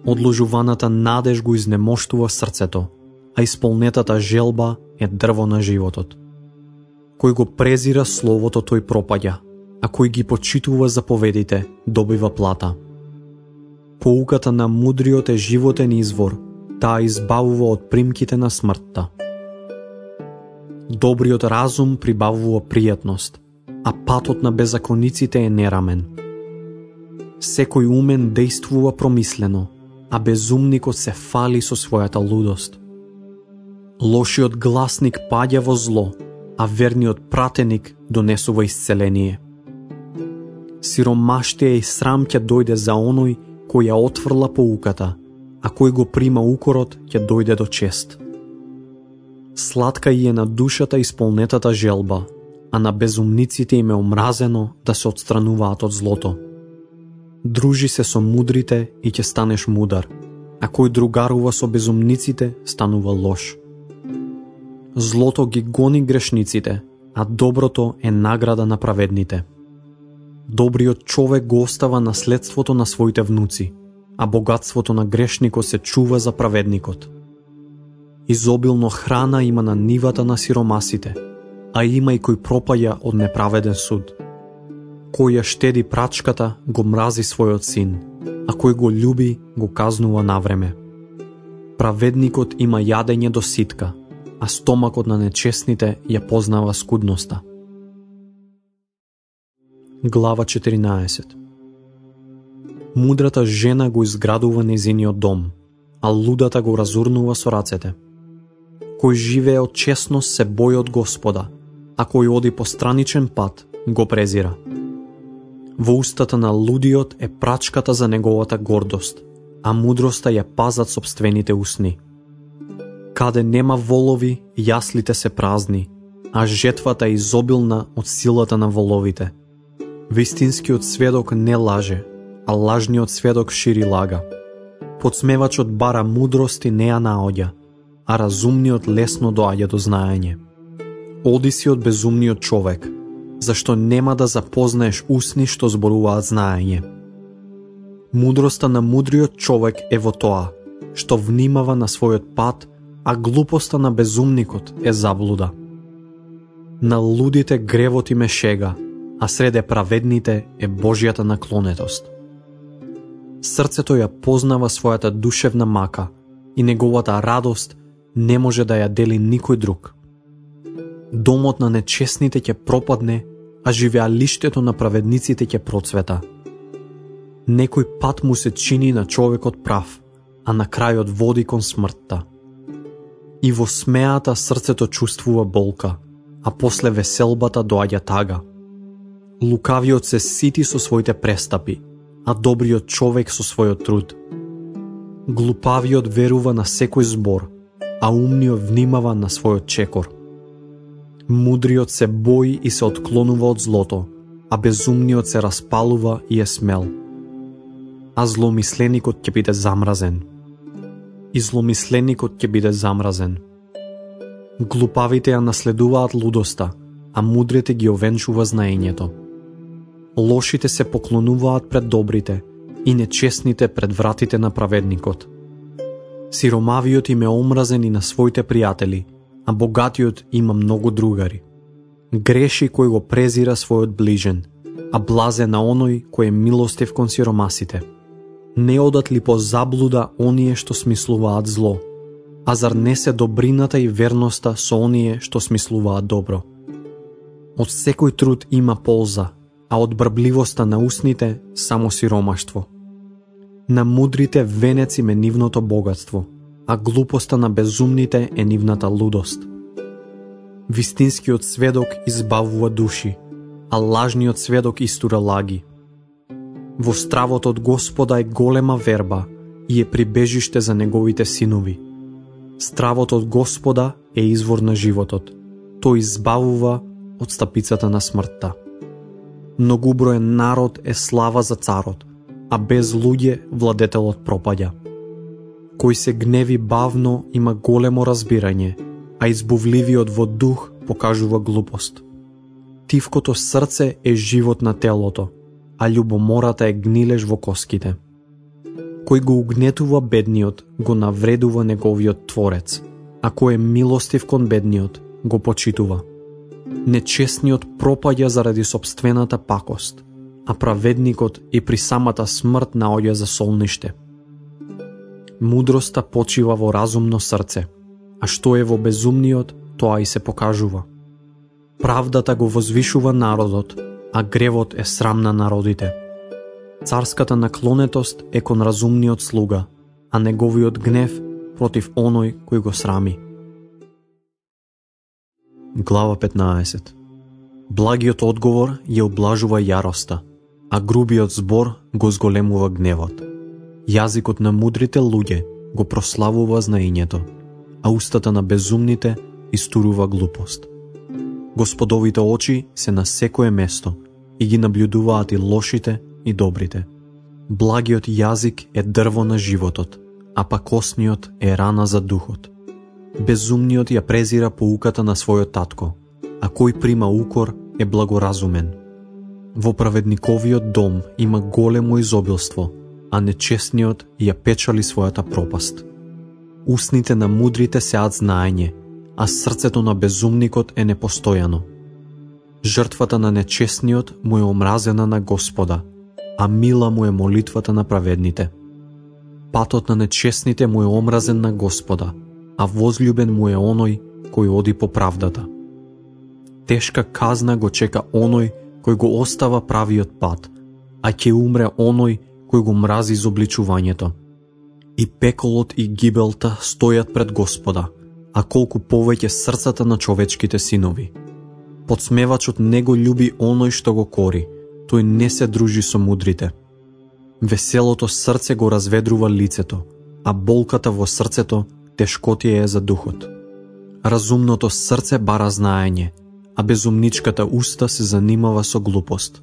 Одложуваната надеж го изнемоштува срцето, а исполнетата желба е дрво на животот. Кој го презира словото, тој пропаѓа, а кој ги почитува заповедите, добива плата. Поуката на мудриот е животен извор, таа избавува од примките на смртта. Добриот разум прибавува пријатност, а патот на беззакониците е нерамен. Секој умен действува промислено, а безумникот се фали со својата лудост. Лошиот гласник паѓа во зло, а верниот пратеник донесува исцеление. Сиромаштија и срам ќе дојде за оној кој ја отфрла поуката, а кој го прима укорот ќе дојде до чест. Сладка и е на душата исполнетата желба, а на безумниците им е омразено да се отстрануваат од злото. Дружи се со мудрите и ќе станеш мудар, а кој другарува со безумниците станува лош. Злото ги гони грешниците, а доброто е награда на праведните. Добриот човек го остава наследството на своите внуци, а богатството на грешникот се чува за праведникот. Изобилно храна има на нивата на сиромасите, а има и кој пропаја од неправеден суд. Кој ја штеди прачката, го мрази својот син, а кој го љуби, го казнува навреме. Праведникот има јадење до ситка, а стомакот на нечестните ја познава скудноста. Глава 14. Мудрата жена го изградува нејзиниот дом, а лудата го разурнува со рацете. Кој живее од честност се бои од Господа, а кој оди по страничен пат го презира. Во устата на лудиот е прачката за неговата гордост, а мудроста ја пазат сопствените усни. Каде нема волови, јаслите се празни, а жетвата е изобилна од силата на воловите. Вистинскиот сведок не лаже, а лажниот сведок шири лага. Подсмевачот бара мудрост и не ја наоѓа, а разумниот лесно доаѓа до знаење. Оди си од безумниот човек, зашто нема да запознаеш усни што зборуваат знаење. Мудроста на мудриот човек е во тоа, што внимава на својот пат, а глупоста на безумникот е заблуда. На лудите гревот им е шега, а среде праведните е Божјата наклонетост. Срцето ја познава својата душевна мака и неговата радост не може да ја дели никој друг. Домот на нечестните ќе пропадне, а живеалиштето на праведниците ќе процвета. Некој пат му се чини на човекот прав, а на крајот води кон смртта. И во смеата срцето чувствува болка, а после веселбата доаѓа тага. Лукавиот се сити со своите престапи, а добриот човек со својот труд. Глупавиот верува на секој збор, а умниот внимава на својот чекор. Мудриот се бои и се отклонува од злото, а безумниот се распалува и е смел. А зломисленикот ќе биде замразен. И зломисленикот ќе биде замразен. Глупавите ја наследуваат лудоста, а мудрите ги овенчува знаењето. Лошите се поклонуваат пред добрите и нечестните пред вратите на праведникот. Сиромавиот им е омразен и на своите пријатели, а богатиот има многу другари. Греши кој го презира својот ближен, а блазе на оној кој е милостив кон сиромасите. Не одат ли по заблуда оние што смислуваат зло, а зар не се добрината и верноста со оние што смислуваат добро? Од секој труд има полза, а од брбливоста на усните само сиромаштво. На мудрите венец им е нивното богатство, а глупоста на безумните е нивната лудост. Вистинскиот сведок избавува души, а лажниот сведок истура лаги. Во стравот од Господа е голема верба и е прибежиште за неговите синови. Стравот од Господа е извор на животот. Тој избавува од стапицата на смртта. Многуброен народ е слава за царот, а без луѓе владетелот пропаѓа. Кој се гневи бавно има големо разбирање, а избувливиот во дух покажува глупост. Тивкото срце е живот на телото, а љубомората е гнилеж во коските. Кој го угнетува бедниот, го навредува неговиот творец, а кој е милостив кон бедниот, го почитува. Нечестниот пропаѓа заради сопствената пакост, а праведникот и при самата смрт наоѓа за солниште. Мудроста почива во разумно срце, а што е во безумниот, тоа и се покажува. Правдата го возвишува народот, а гревот е срам на народите. Царската наклонетост е кон разумниот слуга, а неговиот гнев против оној кој го срами. Глава 15. Благиот одговор ја облажува јароста, а грубиот збор го зголемува гневот. Јазикот на мудрите луѓе го прославува знаењето, а устата на безумните истурува глупост. Господовите очи се на секое место и ги наблюдуваат и лошите и добрите. Благиот јазик е дрво на животот, а пакосниот е рана за духот. Безумниот ја презира поуката на својот татко, а кој прима укор е благоразумен. Во праведниковиот дом има големо изобилство, а нечестниот ја печали својата пропаст. Устните на мудрите сеат знаење, а срцето на безумникот е непостојано. Жртвата на нечестниот му е омразена на Господа, а мила му е молитвата на праведните. Патот на нечестните му е омразен на Господа, а возљубен му е оној кој оди по правдата. Тешка казна го чека оној кој го остава правиот пат, а ќе умре оној кој го мрази изобличувањето. И пеколот и гибелта стојат пред Господа, а колку повеќе срцата на човечките синови. Подсмевачот не го љуби оној што го кори, тој не се дружи со мудрите. Веселото срце го разведрува лицето, а болката во срцето тешкотија е за духот. Разумното срце бара знаење, а безумничката уста се занимава со глупост.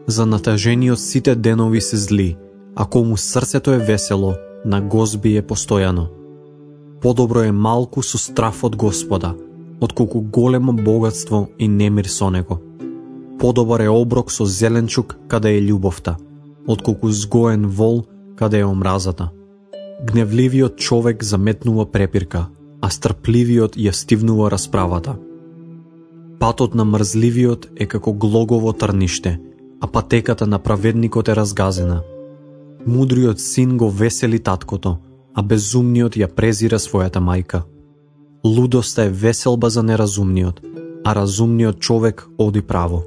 За натажениот сите денови се зли, а кому срцето е весело, на гозби е постојано. Подобро е малку со страф од Господа, отколку големо богатство и немир со него. Подобар е оброк со зеленчук каде е љубовта, отколку згоен вол каде е омразата. Гневливиот човек заметнува препирка, а стрпливиот ја стивнува расправата. Патот на мрзливиот е како глогово трниште, а патеката на праведникот е разгазена. Мудриот син го весели таткото, а безумниот ја презира својата мајка. Лудоста е веселба за неразумниот, а разумниот човек оди право.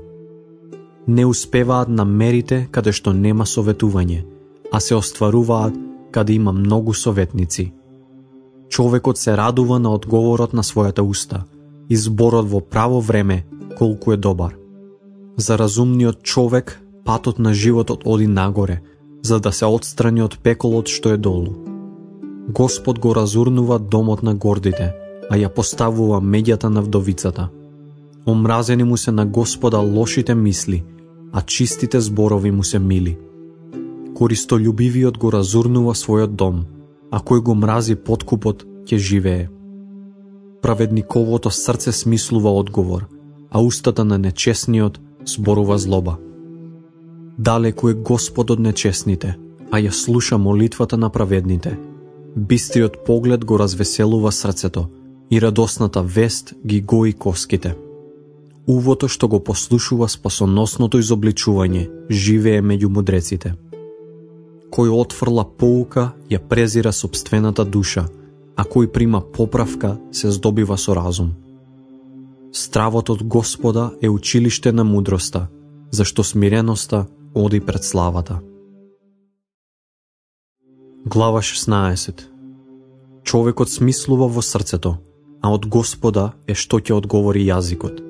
Не успеваат на мерите каде што нема советување, а се остваруваат каде има многу советници. Човекот се радува на одговорот на својата уста, и зборот во право време колку е добар. За разумниот човек патот на животот оди нагоре, за да се отстрани од пеколот што е долу. Господ го разурнува домот на гордите, а ја поставува меѓата на вдовицата. Омразени му се на Господа лошите мисли, а чистите зборови му се мили. Користолюбивиот го разурнува својот дом, а кој го мрази подкупот ќе живее. Праведниковото срце смислува одговор, а устата на нечестниот зборува злоба. Далеку е Господ од нечестните, а ја слуша молитвата на праведните. Бистриот поглед го развеселува срцето, и радосната вест ги гои коските. Увото што го послушува спасоносното изобличување живее меѓу мудреците. Кој отфрла поука ја презира сопствената душа, а кој прима поправка се здобива со разум. Стравот од Господа е училиште на мудроста, зашто смиреноста оди пред славата. Глава 16. Човекот смислува во срцето, а од Господа е што ќе одговори јазикот.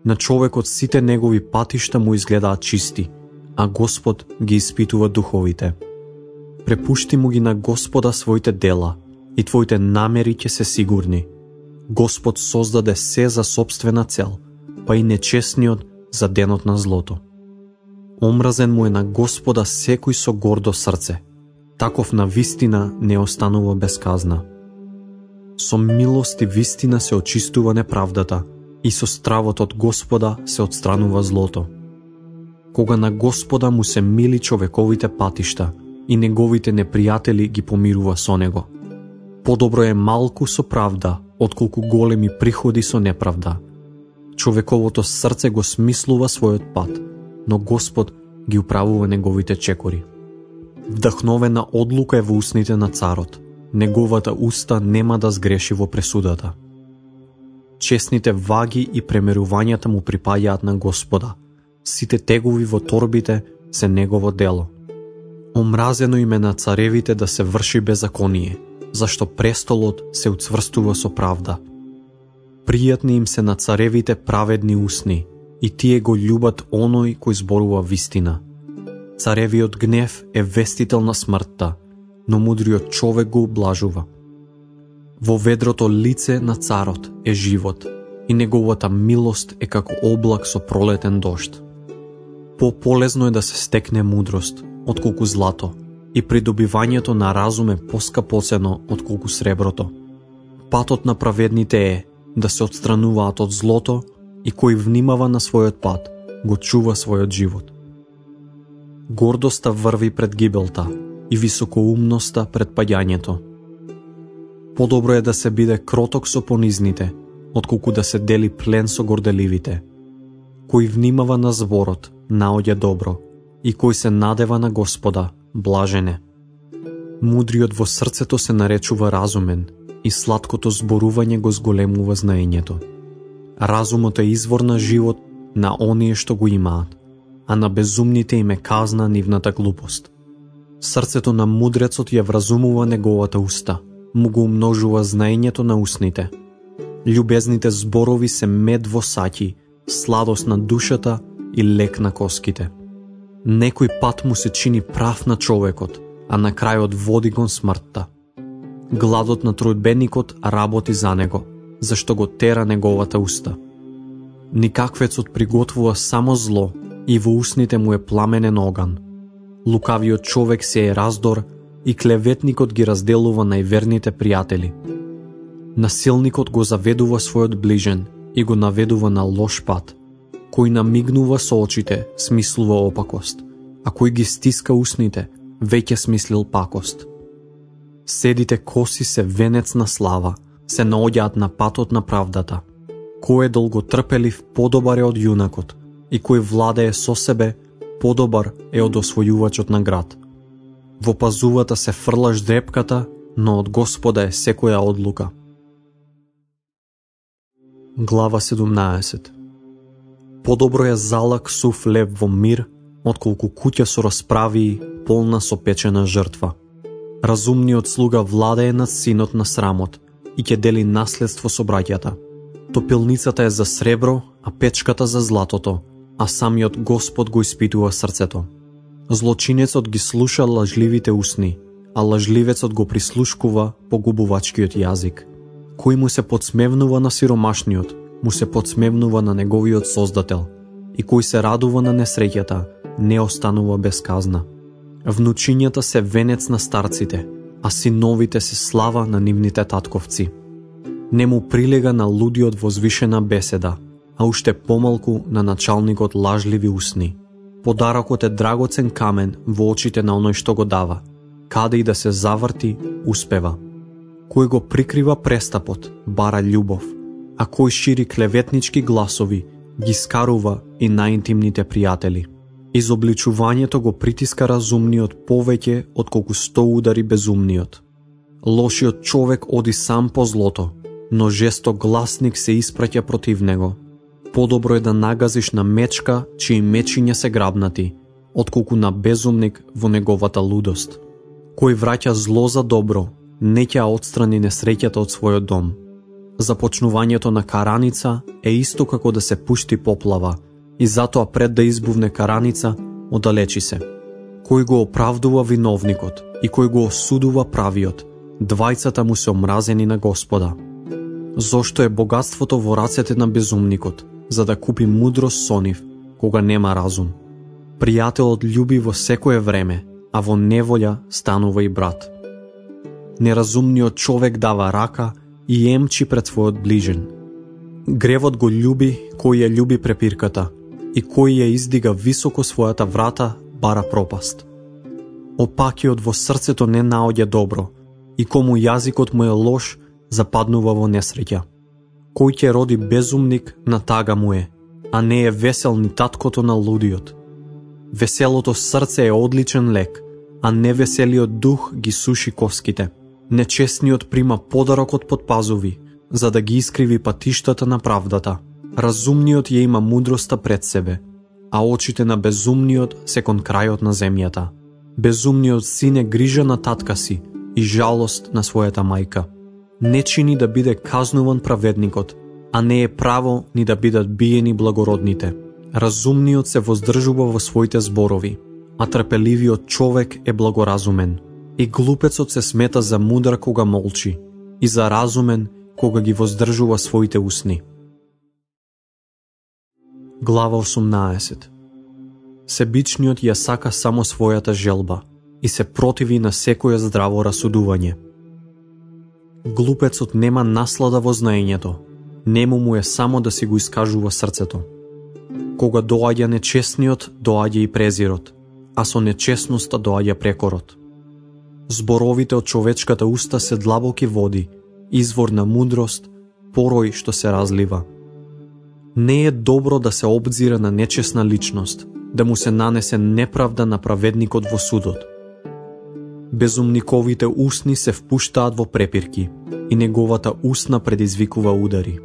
На човекот сите негови патишта му изгледаат чисти, а Господ ги испитува духовите. Препушти му ги на Господа своите дела, и твоите намери ќе се сигурни. Господ создаде се за собствена цел, па и нечестниот за денот на злото. Омразен му е на Господа секој со гордо срце, таков на вистина не останува без казна. Со милост и вистина се очистува неправдата, и со стравот од Господа се отстранува злото. Кога на Господа му се мили човековите патишта, и неговите непријатели ги помирува со него. Подобро е малку со правда, отколку големи приходи со неправда. Човековото срце го смислува својот пат, но Господ ги управува неговите чекори. Вдахновена одлука е во устните на царот, неговата уста нема да сгреши во пресудата. Честните ваги и премерувањата му припаѓаат на Господа, сите тегови во торбите се негово дело. Омразено им е на царевите да се врши беззаконие, зашто престолот се уцврстува со правда. Пријатни им се на царевите праведни усни, и тие го љубат оној кој зборува вистина. Царевиот гнев е вестител на смртта, но мудриот човек го ублажува. Во ведрото лице на царот е живот, и неговата милост е како облак со пролетен дожд. Пополезно е да се стекне мудрост, отколку злато, и придобивањето на разум е поскапоцено отколку среброто. Патот на праведните е да се отстрануваат од злото и кој внимава на својот пат, го чува својот живот. Гордоста врви пред гибелта и високоумноста пред паѓањето. Подобро е да се биде кроток со понизните, отколку да се дели плен со горделивите. Кој внимава на зборот, наоѓа добро, и кој се надева на Господа, блажен е. Мудриот во срцето се наречува разумен, и сладкото зборување го зголемува знаењето. Разумот е извор на живот на оние што го имаат, а на безумните им е казна нивната глупост. Срцето на мудрецот ја вразумува неговата уста, му го умножува знаењето на устните. Љубезните зборови се мед во саќи, сладост на душата и лек на коските. Некој пат му се чини прав на човекот, а на крајот води кон смртта. Гладот на трујбеникот работи за него, зашто го тера неговата уста. Никаквецот приготвува само зло и во устните му е пламенен оган. Лукавиот човек се е раздор и клеветникот ги разделува најверните пријатели. Насилникот го заведува својот ближен и го наведува на лош пат. Кој намигнува со очите, смислува опакост, а кој ги стиска устните, веќе смислил пакост. Седите коси се венец на слава, се наоѓаат на патот на правдата. Кој е долготрпелив, подобар е од јунакот, и кој владее со себе, подобар е од освојувачот на град. Во пазувата се фрлаш дрепката, но од Господа е секоја одлука. Глава 17. Подобро е залак сув лев во мир, отколку куќа со расправии, полна со печена жртва. Разумниот слуга владее над синот на срамот и ќе дели наследство со браќата. Топилницата е за сребро, а печката за златото, а самиот Господ го испитува срцето. Злочинецот ги слуша лажливите усни, а лажливецот го прислушкува погубувачкиот јазик. Кој му се подсмевнува на сиромашниот, му се подсмевнува на неговиот Создател, и кој се радува на несреќата, не останува без казна. Внучињата се венец на старците, а синовите се слава на нивните татковци. Не му прилега на лудиот возвишена беседа, а уште помалку на началникот лажливи усни. Подарокот е драгоцен камен во очите на оној што го дава. Каде и да се заврти, успева. Кој го прикрива престапот, бара љубов, а кој шири клеветнички гласови, ги скарува и најинтимните пријатели. Изобличувањето го притиска разумниот повеќе отколку 100 удари безумниот. Лошиот човек оди сам по злото, но жесток гласник се испраќа против него. Подобро е да нагазиш на мечка, чии мечиња се грабнати, отколку на безумник во неговата лудост. Кој враќа зло за добро, не ќе отстрани несреќата од својот дом. Започнувањето на караница е исто како да се пушти поплава, и затоа пред да избувне караница, оддалечи се. Кој го оправдува виновникот и кој го осудува правиот, двајцата му се омразени на Господа. Зошто е богатството во рацете на безумникот, за да купи мудрост со нив, кога нема разум. Пријателот љуби во секое време, а во неволја станува и брат. Неразумниот човек дава рака и емчи пред својот ближен. Гревот го љуби кој ја љуби препирката, и кој ја издига високо својата врата, бара пропаст. Опакиот во срцето не наоѓа добро, и кому јазикот му е лош, западнува во несреќа. Кој ќе роди безумник, на тага му е, а не е весел ни таткото на лудиот. Веселото срце е одличен лек, а невеселиот дух ги суши коските. Нечестниот прима подарокот под пазуви, за да ги искриви патиштата на правдата. Разумниот ја има мудроста пред себе, а очите на безумниот се кон крајот на земјата. Безумниот син е грижа на татка си и жалост на својата мајка. Не чини да биде казнуван праведникот, а не е право ни да бидат биени благородните. Разумниот се воздржува во своите зборови, а трпеливиот човек е благоразумен. И глупецот се смета за мудар кога молчи, и за разумен кога ги воздржува своите усни. Глава 18. Себичниот ја сака само својата желба, и се противи на секое здраво расудување. Глупецот нема наслада во знаењето, нему му е само да си го искажува срцето. Кога доаѓа нечестниот, доаѓа и презирот, а со нечестноста доаѓа прекорот. Зборовите од човечката уста се длабоки води, извор на мудрост, порој што се разлива. Не е добро да се обзира на нечесна личност, да му се нанесе неправда на праведникот во судот. Безумниковите усни се впуштаат во препирки и неговата устна предизвикува удари.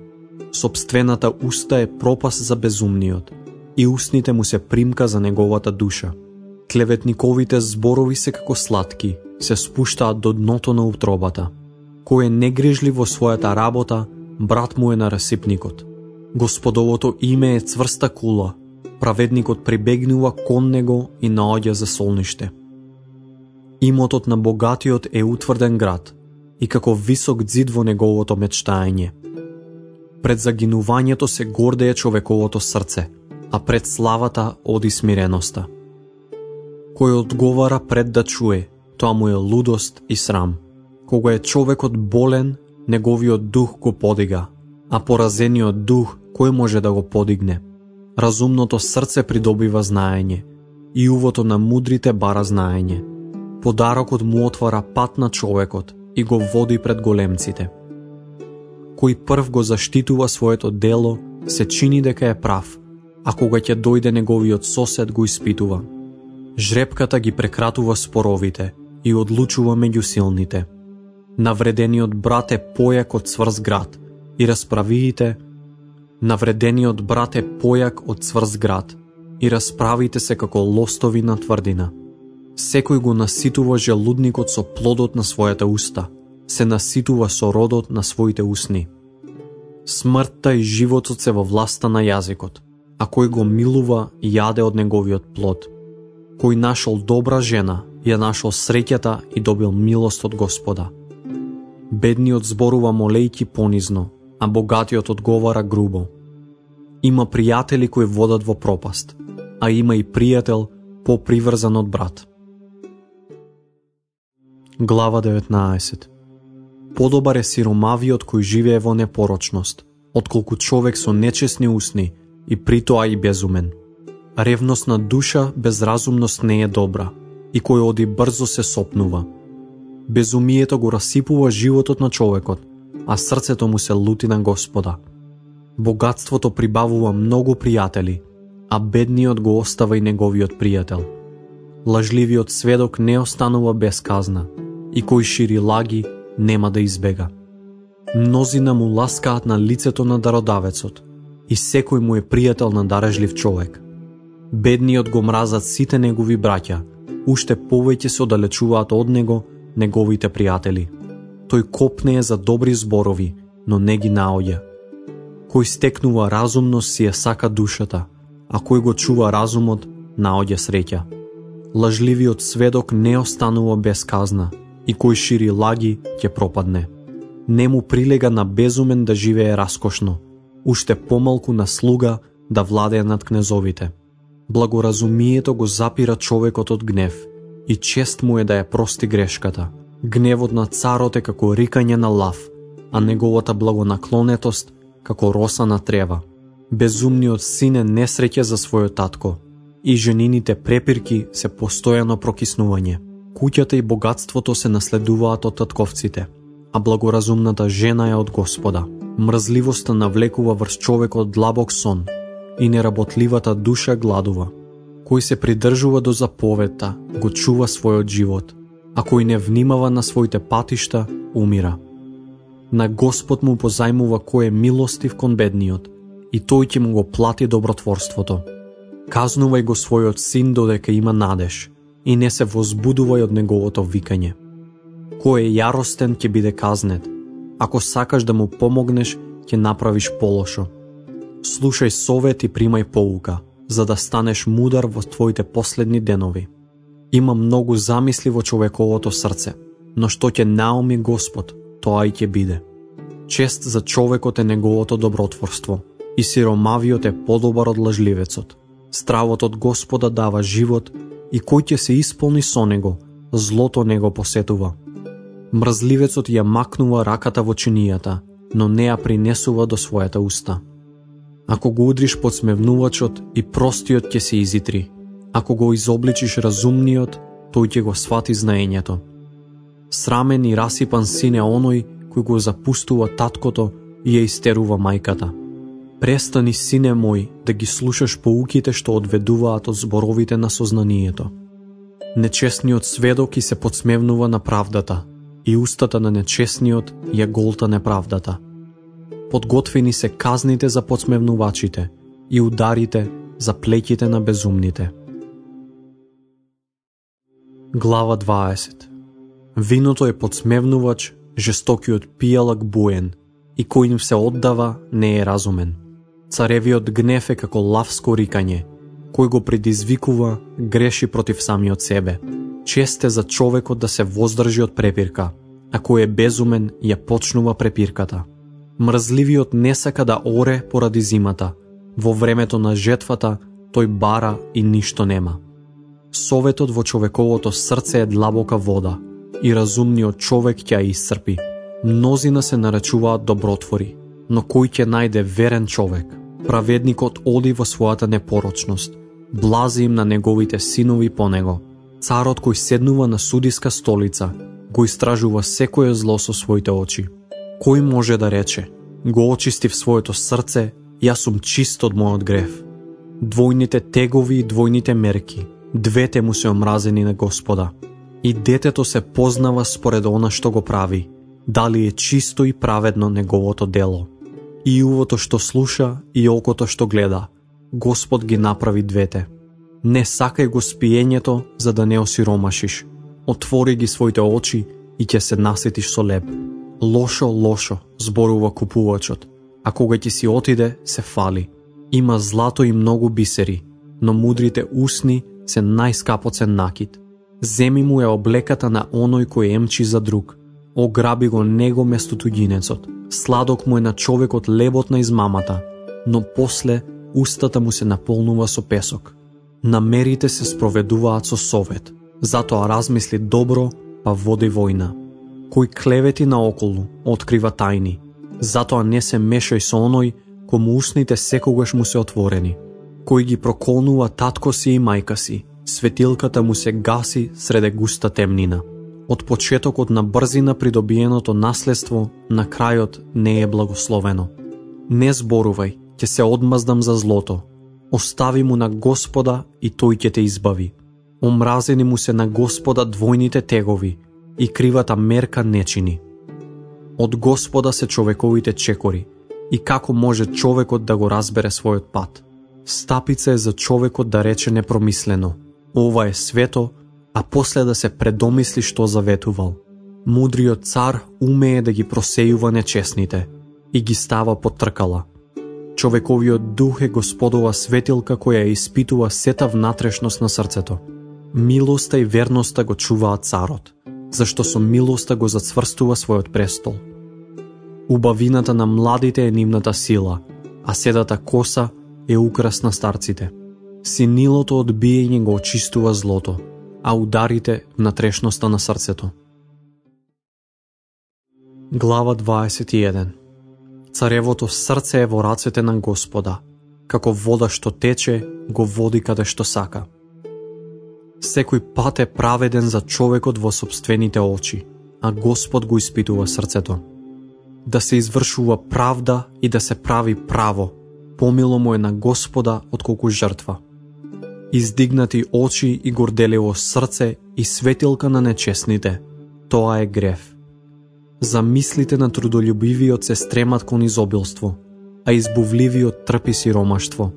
Собствената уста е пропаст за безумниот и устните му се примка за неговата душа. Клеветниковите зборови се како сладки, се спуштаат до дното на утробата. Кој е негрижлив во својата работа, брат му е на расипникот. Господовото име е цврста кула, праведникот прибегнува кон него и наоѓа за солниште. Имотот на богатиот е утврден град и како висок ѕид во неговото мечтаење. Пред загинувањето се гордее човековото срце, а пред славата оди смиреноста. Кој одговара пред да чуе, тоа му е лудост и срам. Кога е човекот болен, неговиот дух го подига, а поразениот дух кој може да го подигне? Разумното срце придобива знаење, и увото на мудрите бара знаење. Подарокот му отвара пат на човекот и го води пред големците. Кој прв го заштитува своето дело, се чини дека е прав, а кога ќе дојде неговиот сосед го испитува. Жрепката ги прекратува споровите и одлучува меѓу силните. Навредениот брат е појак од цврст град и расправиите се како лостови на тврдина. Секој го наситува желудникот со плодот на својата уста, се наситува со родот на своите усни. Смртта и животот се во власта на јазикот, а кој го милува јаде од неговиот плод. Кој нашол добра жена, ја нашол среќата и добил милост од Господа. Бедниот зборува молејки понизно, а богатиот одговара грубо. Има пријатели кои водат во пропаст, а има и пријател поприврзан од брат. Глава 19. Подобар е сиромавиот кој живее во непорочност, отколку човек со нечесни усни и притоа и безумен. Ревностна душа без разумност не е добра, и кој оди брзо се сопнува. Безумието го расипува животот на човекот, а срцето му се лути на Господа. Богатството прибавува многу пријатели, а бедниот го остава и неговиот пријател. Лажливиот сведок не останува без казна, и кој шири лаги нема да избега. Мнозина му ласкаат на лицето на дародавецот, и секој му е пријател на дарежлив човек. Бедниот го мразат сите негови браќа, уште повеќе се оддалечуваат од него неговите пријатели. Тој копнее за добри зборови, но не ги наоѓа. Кој стекнува разумност си ја сака душата, а кој го чува разумот, наоѓа среќа. Лажливиот сведок не останува без казна, и кој шири лаги ќе пропадне. Не му прилега на безумен да живее раскошно, уште помалку на слуга да владее над кнезовите. Благоразумието го запира човекот од гнев, и чест му е да ја прости грешката. Гневот на царот е како рикање на лав, а неговата благонаклонетост како роса на трева. Безумниот син е несреќа за својот татко, и женините препирки се постојано прокиснување. Куќата и богатството се наследуваат од татковците, а благоразумната жена е од Господа. Мрзливоста навлекува врз човекот длабок сон, и неработливата душа гладува. Кој се придржува до заповедта, го чува својот живот, а кој не внимава на своите патишта, умира. На Господ му позајмува кој е милостив кон бедниот, и тој ќе му го плати добротворството. Казнувај го својот син додека има надеж, и не се возбудувај од неговото викање. Кој е јаростен ќе биде казнет, ако сакаш да му помогнеш, ќе направиш полошо. Слушај совет и примај поука, за да станеш мудар во твоите последни денови. Има многу замисли во човековото срце, но што ќе науми Господ, тоа и ќе биде. Чест за човекот е неговото добротворство, и сиромавиот е подобар од лажливецот. Стравот од Господа дава живот, и кој ќе се исполни со него, злото не го посетува. Мрзливецот ја макнува раката во чинијата, но не ја принесува до својата уста. Ако го удриш подсмевнувачот, и простиот ќе се изитри. Ако го изобличиш разумниот, тој ќе го свати знаењето. Срамен и расипан син е оној кој го запустува таткото и ја истерува мајката. Престани, сине мој, да ги слушаш поуките што одведуваат од зборовите на сознанието. Нечесниот сведок и се подсмевнува на правдата, и устата на нечесниот ја голта неправдата. Подготвени се казните за подсмевнувачите и ударите за плеќите на безумните. Глава 20. Виното е подсмевнувач, жестокиот пијалак буен, и кој им се оддава не е разумен. Царевиот гнев е како лавско рикање, кој го предизвикува, греши против самиот себе. Чест е за човекот да се воздржи од препирка, а кој е безумен ја почнува препирката. Мрзливиот не сака да оре поради зимата, во времето на жетвата тој бара и ништо нема. Советот во човековото срце е длабока вода, и разумниот човек ќе ја исцрпи. Мнозина се наречуваат добротвори, но кој ќе најде верен човек? Праведникот оди во својата непорочност, блази им на неговите синови по него. Царот кој седнува на судиска столица, го истражува секое зло со своите очи. Кој може да рече, го очистив своето срце, јас сум чист од мојот грев. Двојните тегови и двојните мерки, двете му се омразени на Господа. И детето се познава според она што го прави, дали е чисто и праведно неговото дело. И увото што слуша и окото што гледа, Господ ги направи двете. Не сакај го спиењето за да не осиромашиш. Отвори ги своите очи и ќе се наситиш со леб. Лошо, лошо, зборува купувачот, а кога ќе си отиде, се фали. Има злато и многу бисери, но мудрите усни се најскапоцен накид. Земи му е облеката на оној кој емчи за друг. Ограби го него место туѓинецот. Сладок му е на човекот лебот на измамата, но после устата му се наполнува со песок. Намерите се спроведуваат со совет, затоа размисли добро, па води војна. Кој клевети наоколу, открива тајни, затоа не се мешај со оној кому устните секогаш му се отворени. Кој ги проколнува татко си и мајка си, светилката му се гаси среде густа темнина. Од почетокот на брзина придобиеното наследство, на крајот не е благословено. Не зборувај, ќе се одмаздам за злото. Остави му на Господа и тој ќе те избави. Омразени му се на Господа двојните тегови и кривата мерка не чини. Од Господа се човековите чекори и како може човекот да го разбере својот пат. Стапица е за човекот да рече непромислено. Ова е свето, а после да се предомисли што заветувал. Мудриот цар умее да ги просејува нечесните и ги става под тркала. Човековиот дух е Господова светилка која испитува сета внатрешност на срцето. Милоста и верноста го чуваат царот, зашто со милоста го зацврстува својот престол. Убавината на младите е нивната сила, а седата коса е украс на старците. Синилото одбиење го очистува злото, а ударите внатрешноста на срцето. Глава 21. Царевото срце е во рацете на Господа, како вода што тече, го води каде што сака. Секој пат е праведен за човекот во собствените очи, а Господ го испитува срцето. Да се извршува правда и да се прави право, помило му е на Господа отколку жртва. Издигнати очи и горделиво срце и светилка на нечесните, тоа е грев. Замислите на трудолюбивиот се стремат кон изобилство, а избувливиот трпи сиромаштво.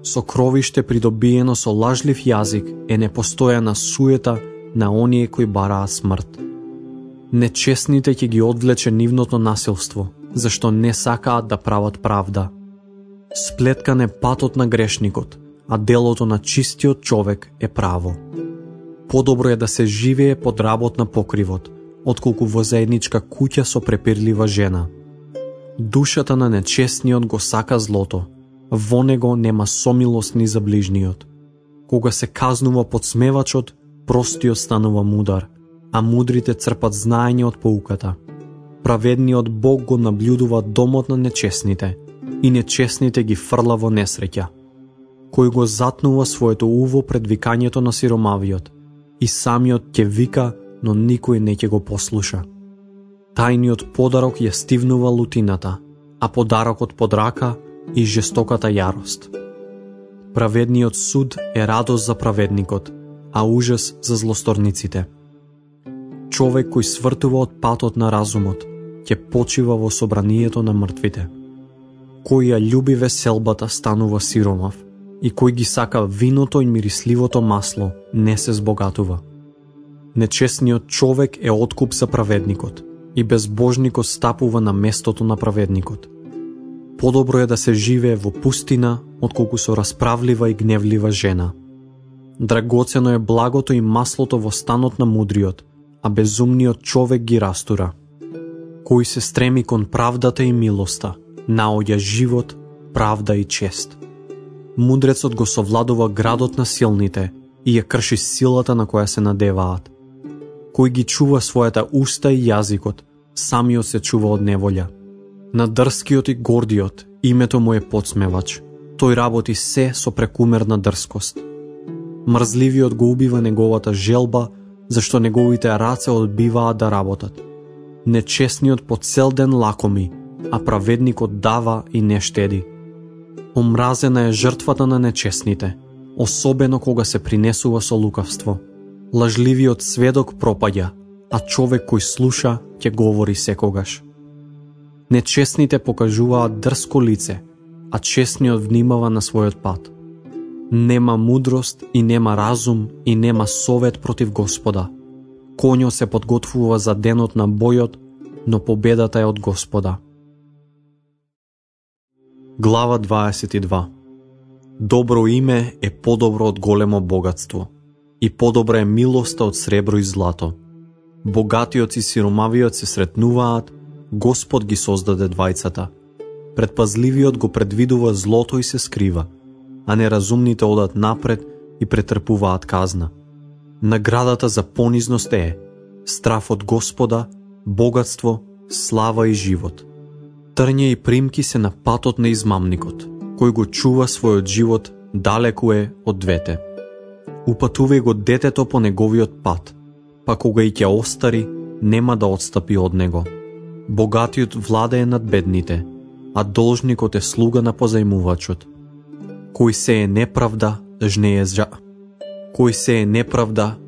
Сокровиште придобиено со лажлив јазик е непостојана суета на оние кои бараат смрт. Нечесните ќе ги одвлече нивното насилство, зашто не сакаат да прават правда. Сплеткан е патот на грешникот, а делото на чистиот човек е право. Подобро е да се живее под работ на покривот, отколку во заедничка куќа со препирлива жена. Душата на нечестниот го сака злото, во него нема сомилост ни за ближниот. Кога се казнува подсмевачот, простиот станува мудар, а мудрите црпат знаење од поуката. Праведниот Бог го наблюдува домот на нечесните и нечесните ги фрла во несреќа. Кој го затнува своето уво пред викањето на сиромавиот и самиот ќе вика, но никој не ќе го послуша. Тајниот подарок ја стивнува лутината, а подарокот под рака и жестоката јарост. Праведниот суд е радост за праведникот, а ужас за злосторниците. Човек кој свртува од патот на разумот, ќе почива во собранието на мртвите. Кој ја љуби веселбата станува сиромав, и кој ги сака виното и мирисливото масло не се збогатува. Нечесниот човек е откуп за праведникот, и безбожникот стапува на местото на праведникот. Подобро е да се живее во пустина, отколку со расправлива и гневлива жена. Драгоцено е благото и маслото во станот на мудриот, а безумниот човек ги растура. Кој се стреми кон правдата и милоста, наоѓа живот, правда и чест. Мудрецот го совладува градот на силните и ја крши силата на која се надеваат. Кој ги чува својата уста и јазикот, самиот се чува од неволја. На дрскиот и гордиот името му е подсмевач. Тој работи се со прекумерна дрскост. Мрзливиот го убива неговата желба, зашто неговите раце одбиваат да работат. Нечесниот по цел ден лакоми, а праведникот дава и не штеди. Омразена е жртвата на нечесните, особено кога се принесува со лукавство. Лажливиот сведок пропаѓа, а човек кој слуша ќе говори секогаш. Нечесните покажуваат дрско лице, а честниот внимава на својот пат. Нема мудрост и нема разум и нема совет против Господа. Конјот се подготвува за денот на бојот, но победата е од Господа. Глава 22. Добро име е подобро од големо богатство, и подобра е милоста од сребро и злато. Богатиот и сиромавиот се сретнуваат, Господ ги создаде двајцата. Предпазливиот го предвидува злото и се скрива, а неразумните одат напред и претрпуваат казна. Наградата за понизност е страв од Господа, богатство, слава и живот. Трње и примки се на патот на измамникот, кој го чува својот живот, далеку е од двете. Упатувај го детето по неговиот пат, па кога и ќе остари, нема да отстапи од него. Богатиот владее над бедните, а должникот е слуга на позајмувачот. Кој се е неправда,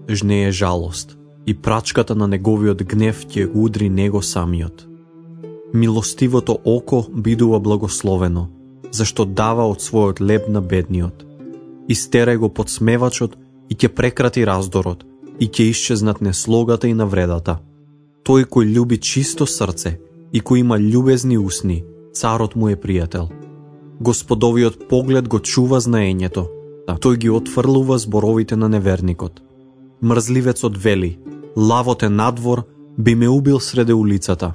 жнее жалост, и прачката на неговиот гнев ќе удри него самиот. Милостивото око бидува благословено, зашто дава од својот леб на бедниот. Истерај го подсмевачот и ќе прекрати раздорот, и ќе исчезнат неслогата и навредата. Тој кој љуби чисто срце и кој има љубезни усни, царот му е пријател. Господовиот поглед го чува знаењето, а тој ги отфрлува зборовите на неверникот. Мрзливецот вели: лавот е надвор, би ме убил среде улицата.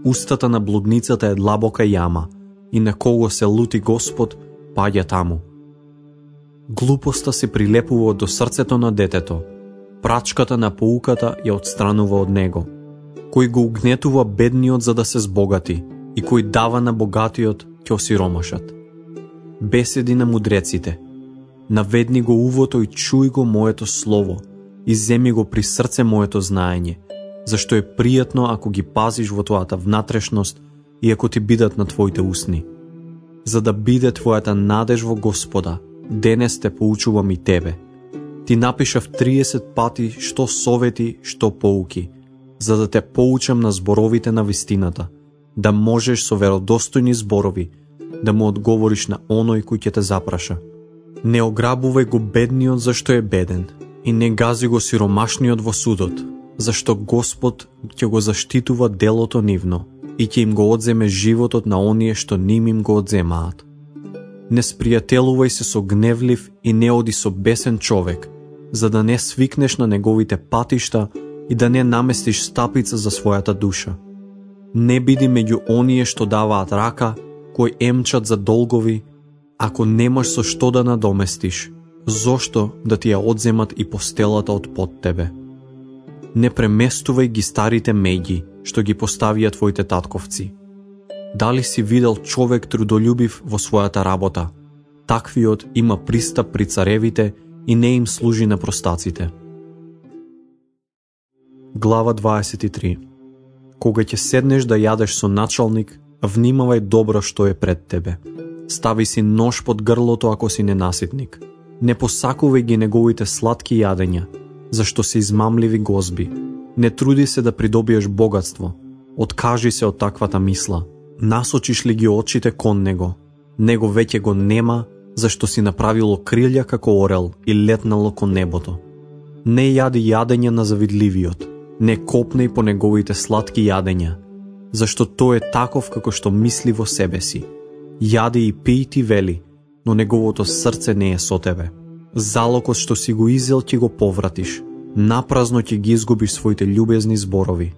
Устата на блудницата е длабока јама, и на кого се лути Господ, паѓа таму. Глупоста се прилепува до срцето на детето, прачката на поуката ја отстранува од него. Кој го угнетува бедниот за да се збогати, и кој дава на богатиот, ќе осиромашат. Беседи на мудреците: наведни го увото и чуј го моето слово, и земи го при срце моето знаење, зашто е пријатно ако ги пазиш во твојата внатрешност и ако ти бидат на твоите усни. За да биде твојата надеж во Господа, денес те поучувам и тебе. Ти напишав 30 пати што совети, што поуки, за да те поучам на зборовите на вистината, да можеш со веродостојни зборови да му одговориш на оној кој ќе те запраша. Не ограбувај го бедниот зашто е беден, и не гази го сиромашниот во судот, зашто Господ ќе го заштитува делото нивно и ќе им го одземе животот на оние што ним им го одземаат. Не спријателувај се со гневлив и не оди со бесен човек, за да не свикнеш на неговите патишта и да не наместиш стапица за својата душа. Не биди меѓу оние што даваат рака, кои емчат за долгови, ако немаш со што да надоместиш, Зошто да ти ја одземат и постелата од под тебе? Не преместувај ги старите меѓи, што ги поставија твоите татковци. Дали си видел човек трудолюбив во својата работа? Таквиот има пристап при царевите и не им служи на простаците. Глава 23. Кога ќе седнеш да јадеш со началник, внимавај добро што е пред тебе. Стави си нож под грлото ако си ненаситник. Не посакувај ги неговите сладки јадења, зашто се измамливи гозби. Не труди се да придобиеш богатство. Откажи се од таквата мисла. Насочиш ли ги очите кон него? Него веќе го нема, зашто си направило крилја како орел и летнало кон небото. Не јади јадење на завидливиот. Не копнеј по неговите сладки јадења, зашто тој е таков како што мисли во себе си. Јади и пиј ти вели, но неговото срце не е со тебе. Залокот што си го изел ќе го повратиш. Напразно ќе ги изгубиш своите љубезни зборови.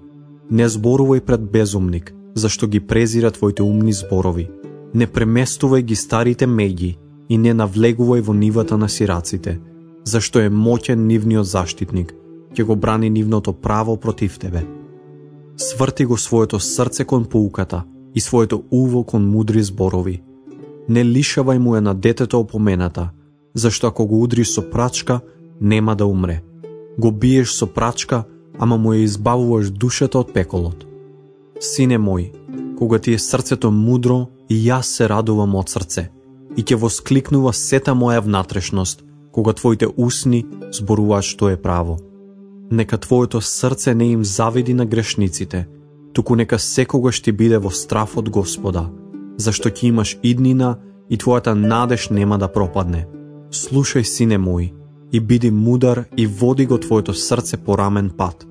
Не зборувај пред безумник, зашто ги презира твоите умни зборови. Не преместувај ги старите меѓи и не навлегувај во нивата на сираците, зашто е моќен нивниот заштитник, ќе го брани нивното право против тебе. Сврти го своето срце кон поуката и своето уво кон мудри зборови. Не лишавај му е на детето опомената, зашто ако го удриш со прачка, нема да умре. Го биеш со прачка, ама му ја избавуваш душата од пеколот. Сине мој, кога ти е срцето мудро, и јас се радувам од срце, и ќе воскликнува сета моја внатрешност, кога твоите усни зборуваат што е право. Нека твоето срце не им завиди на грешниците, туку нека секогаш ти биде во страф од Господа, зашто ќе имаш иднина и твојата надеж нема да пропадне. Слушај, сине мој, и биди мудар и води го твоето срце по рамен пат.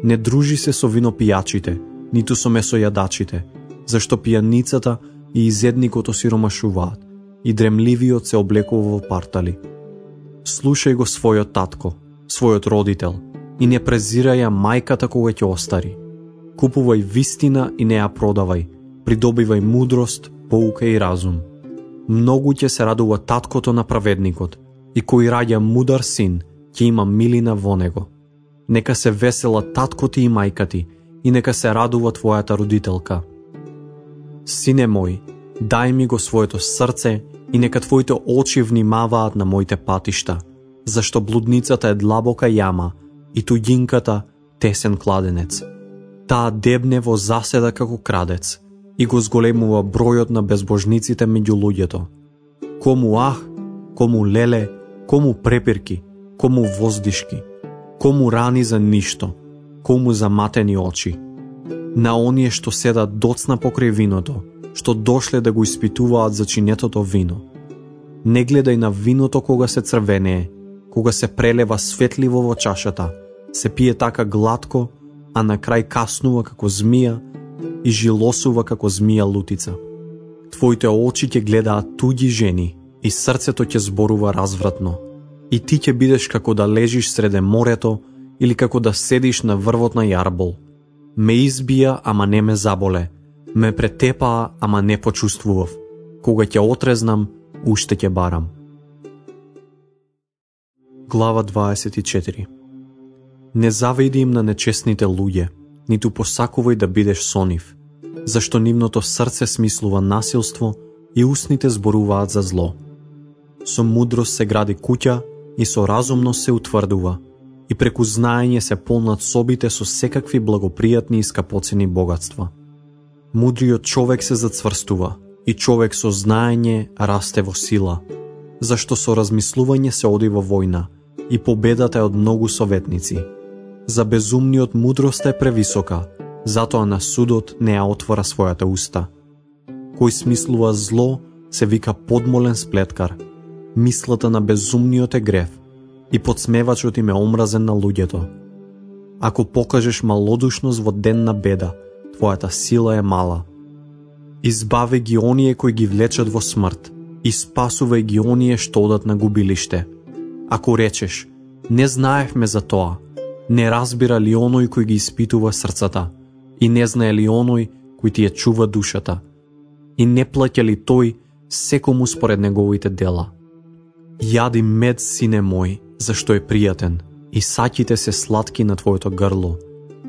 Не дружи се со винопијачите, ниту со месојадачите, зашто пијаницата и изедникот осиромашуваат, и дремливиот се облекува во партали. Слушај го својот татко, својот родител, и не презирај ја мајката кога ќе остари. Купувај вистина и не ја продавај, придобивај мудрост, поука и разум. Многу ќе се радува таткото на праведникот, и кој раѓа мудар син, ќе има милина во него. Нека се весела татко ти и мајка ти, и нека се радува твојата родителка. Сине мој, дај ми го своето срце и нека твоите очи внимаваат на моите патишта, зашто блудницата е длабока јама и туѓинката тесен кладенец. Таа дебне во заседа како крадец и го зголемува бројот на безбожниците меѓу луѓето. Кому ах, кому леле, кому препирки, кому воздишки, кому рани за ништо, кому заматени очи. На оние што седат доцна покрај виното, што дошле да го испитуваат за чинетото вино. Не гледај на виното кога се црвенее, кога се прелева светливо во чашата, се пие така глатко, а на крај каснува како змија и жилосува како змија лутица. Твоите очи ќе гледаат туѓи жени и срцето ќе зборува развратно. И ти ќе бидеш како да лежиш среде морето или како да седиш на врвот на јарбол. Ме избија, ама не ме заболе. Ме претепаа, ама не почувствував. Кога ќе отрезнам, уште ќе барам. Глава 24. Не завиди им на нечестните луѓе, ниту посакувај да бидеш со нив, зашто нивното срце смислува насилство и устните зборуваат за зло. Со мудрост се гради куќа и со разумност се утврдува, и преку знаење се полнат собите со секакви благопријатни и скапоцени богатства. Мудриот човек се зацврстува, и човек со знаење расте во сила, зашто со размислување се оди во војна, и победата е од многу советници. За безумниот мудроста е превисока, затоа на судот не ја отвора својата уста. Кој смислува зло, се вика подмолен сплеткар. Мислата на безумниот е грев, и подсмевачот им е омразен на луѓето. Ако покажеш малодушност во ден на беда, твојата сила е мала. Избави ги оние кои ги влечат во смрт, и спасувај ги оние што одат на губилиште. Ако речеш, не знаевме за тоа, не разбира ли оној кој ги испитува срцата, и не знае ли оној кој ти ја чува душата, и не плаќа ли тој секому според неговите дела. Јади мед, сине мој, зашто е пријатен, и саќите се сладки на твоето грло.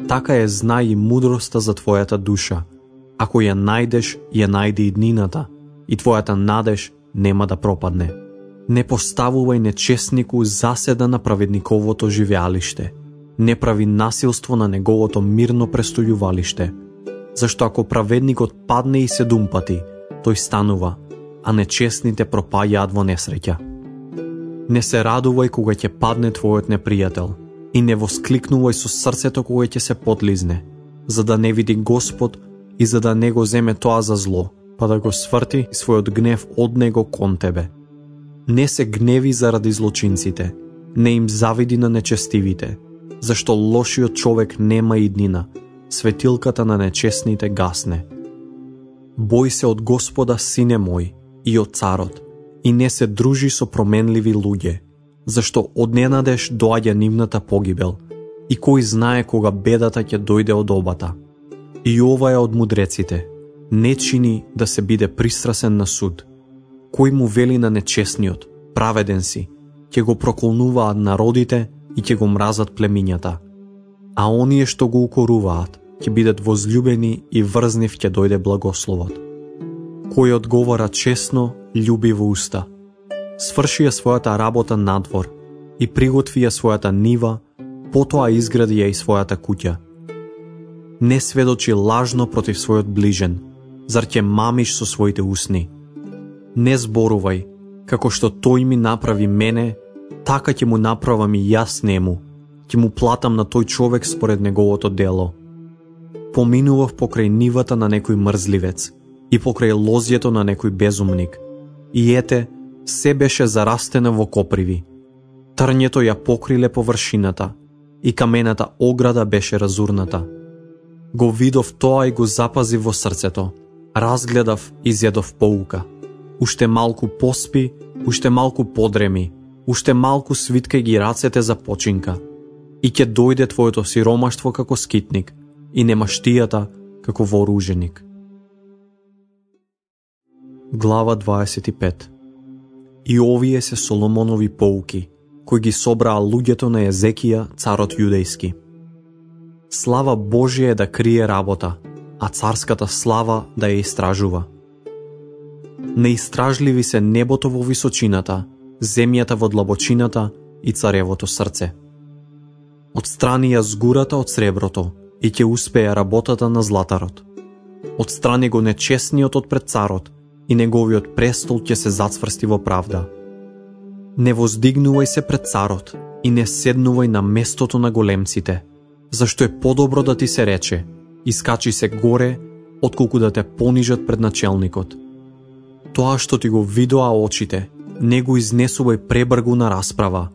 Така е знај и мудроста за твојата душа. Ако ја најдеш, ја најди и днината, и твојата надеж нема да пропадне. Не поставувај нечестнику заседа на праведниковото живеалиште. Не прави насилство на неговото мирно престојувалиште. Зашто ако праведникот падне и 7 пати, тој станува, а нечестните пропаѓаат во несреќа. Не се радувај кога ќе падне твојот непријател и не воскликнувај со срцето кога ќе се подлизне, за да не види Господ и за да не го земе тоа за зло, па да го сврти својот гнев од него кон тебе. Не се гневи заради злочинците, не им завиди на нечестивите, зашто лошиот човек нема иднина, светилката на нечестните гасне. Бој се од Господа, сине мој, и од царот, и не се дружи со променливи луѓе, зашто од ненадеж доаѓа нивната погибел, и кој знае кога бедата ќе дојде од обата. И ова е од мудреците, не чини да се биде пристрасен на суд. Кој му вели на нечестниот, праведен си, ќе го проколнуваат народите и ќе го мразат племињата. А оние што го укоруваат, ќе бидат возлюбени и врз нив ќе дојде благословот. Кој одговара честно, љуби во уста. Сврши ја својата работа надвор и приготви ја својата нива, потоа изгради ја и својата куќа. Не сведочи лажно против својот ближен, зар ќе мамиш со своите усни? Не зборувај, како што тој ми направи мене, така ќе му направам и јас нему, ќе му платам на тој човек според неговото дело. Поминував покрај нивата на некој мрзливец и покрај лозјето на некој безумник, и ете, се беше зарастено во коприви. Трњето ја покриле површината и камената ограда беше разурната. Го видов тоа и го запазив во срцето, разгледав и зедов поука. Уште малку поспи, уште малку подреми, уште малку свиткај ги рацете за починка. И ќе дојде твоето сиромаштво како скитник и немаштијата како вооруженик. Глава 25. И овие се Соломонови поуки, кои ги собраа луѓето на Езекија, царот јудејски. Слава Божија е да крие работа, а царската слава да ја истражува. Неистражливи се небото во височината, земјата во длабочината и царевото срце. Отстрани ја згурата од среброто и ќе успее работата на златарот. Отстрани го нечестниот од пред царот и неговиот престол ќе се зацврсти во правда. Не воздигнувај се пред царот и не седнувај на местото на големците, зашто е подобро да ти се рече, искачи се горе, отколку да те понижат пред начелникот. Тоа што ти го видоа очите, не го изнесувај пребргу на расправа,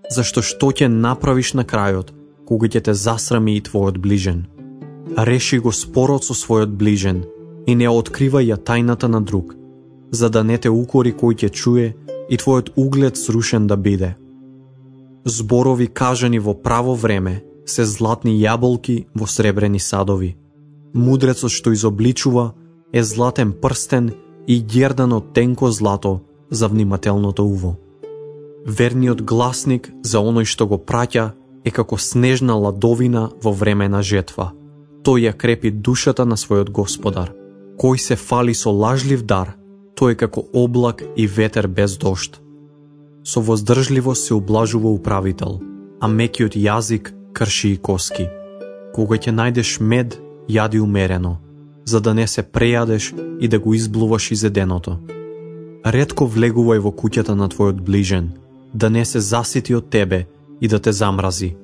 зашто што ќе направиш на крајот, кога ќе те засрами и твојот ближен. Реши го спорот со својот ближен и не откривај ја тајната на друг, за да не те укори кој ќе чуе и твојот углед срушен да биде. Зборови кажани во право време се златни јаболки во сребрени садови. Мудрецот што изобличува е златен прстен и ѓердан од тенко злато за внимателното уво. Верниот гласник за оној што го праќа е како снежна ладовина во време на жетва. Тој ја крепи душата на својот господар. Кој се фали со лажлив дар, тој е како облак и ветер без дожд. Со воздржливост се ублажува управител, а мекиот јазик крши и коски. Кога ќе најдеш мед, јади умерено, за да не се прејадеш и да го изблуваш изеденото. Ретко влегувај во куќата на твојот ближен, да не се засити од тебе и да те замрази.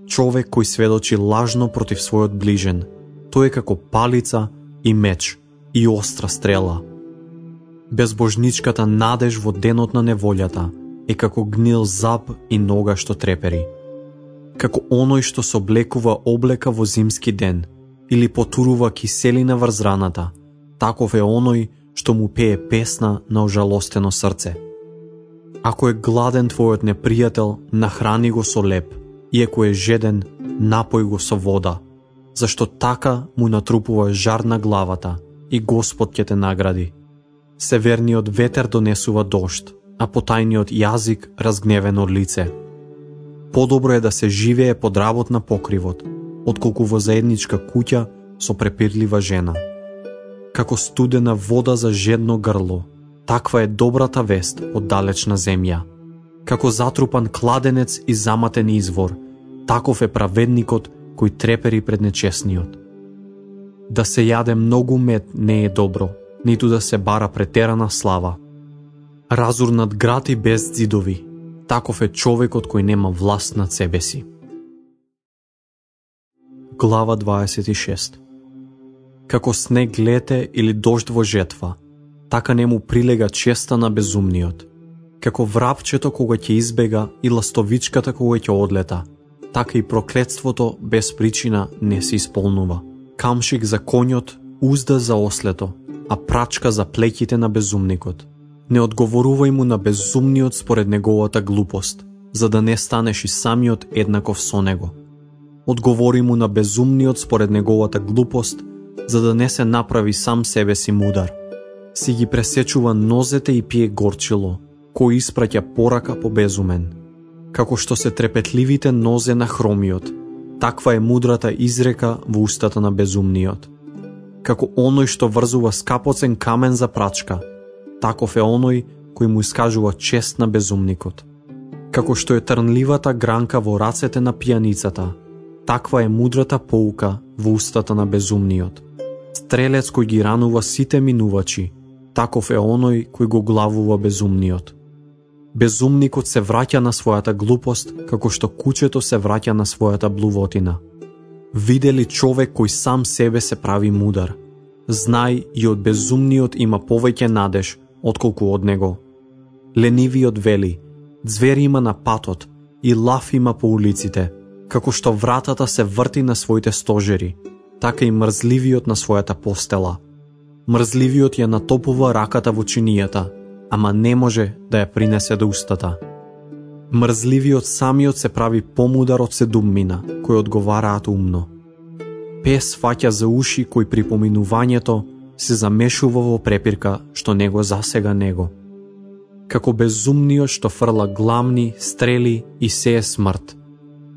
Човек кој сведочи лажно против својот ближен, тој е како палица и меч и остра стрела. Безбожничката надеж во денот на неволјата е како гнил зап и нога што трепери. Како оној што се облекува облека во зимски ден или потурува киселина врз раната, таков е оној што му пее песна на ожалостено срце. Ако е гладен твојот непријател, нахрани го со леп, и ако е жеден, напој го со вода, зашто така му натрупува жар на главата и Господ ќе те награди. Северниот ветер донесува дожд, а потајниот јазик разгневено лице. Подобро е да се живее под работ на покривот, отколку во заедничка куќа со препирлива жена. Како студена вода за жедно грло, таква е добрата вест од далечна земја. Како затрупан кладенец и заматен извор, таков е праведникот кој трепери пред нечесниот. Да се јаде многу мед не е добро, ниту да се бара претерана слава. Разурнат град и без ѕидови, таков е човекот кој нема власт над себе си. Глава 26. Како снег лете или дожд во жетва, така не му прилега честа на безумниот. Како врапчето кога ќе избега и ластовичката кога ќе одлета, така и проклетството без причина не се исполнува. Камшик за конјот, узда за ослето, а прачка за плеќите на безумникот. Не одговорувај му на безумниот според неговата глупост, за да не станеш и самиот еднаков со него. Одговори му на безумниот според неговата глупост, за да не се направи сам себе си мудар. Си ги пресечува нозете и пие горчило, кој испраќа порака по безумен. Како што се трепетливите нозе на хромиот, таква е мудрата изрека во устата на безумниот. Како оној што врзува скапоцен камен за прачка, таков е оној кој му искажува чест на безумникот. Како што е трнливата гранка во рацете на пијаницата, таква е мудрата поука во устата на безумниот. Стрелец кој ги ранува сите минувачи, таков е оној кој го главува безумниот. Безумникот се враќа на својата глупост, како што кучето се враќа на својата блувотина. Виде ли човек кој сам себе се прави мудар? Знај, и од безумниот има повеќе надеж, отколку од него. Ленивиот вели, ѕвери има на патот и лав има по улиците, како што вратата се врти на своите стожери, така и мрзливиот на својата постела. Мрзливиот ја натопува раката во чинијата, ама не може да ја принесе до устата. Мрзливиот самиот се прави помудар од седуммина, кои одговараат умно. Пес фаќа за уши кој при поминувањето се замешува во препирка што него засега него. Како безумниот што фрла гламни, стрели и сее смрт,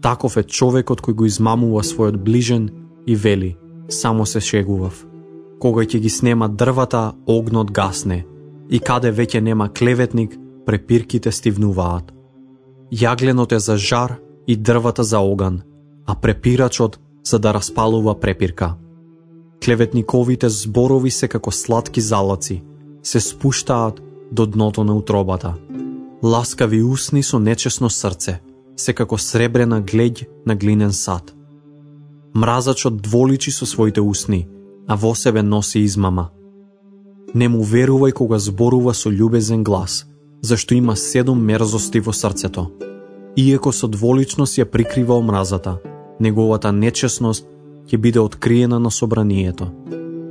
таков е човекот кој го измамува својот ближен и вели, само се шегував. Кога ќе ги снема дрвата, огнот гасне, и каде веќе нема клеветник, препирките стивнуваат. Јагленот е за жар и дрвата за оган, а препирачот за да распалува препирка. Клеветниковите зборови се како сладки залаци, се спуштаат до дното на утробата. Ласкави усни со нечесно срце, се како сребрена глеѓ на глинен сад. Мразачот дволичи со своите усни, а во себе носи измама. Не му верувај кога зборува со љубезен глас, зашто има 7 мерзости во срцето. Иеко со дволичност ја прикрива омразата, неговата нечесност ќе биде откриена на собранието.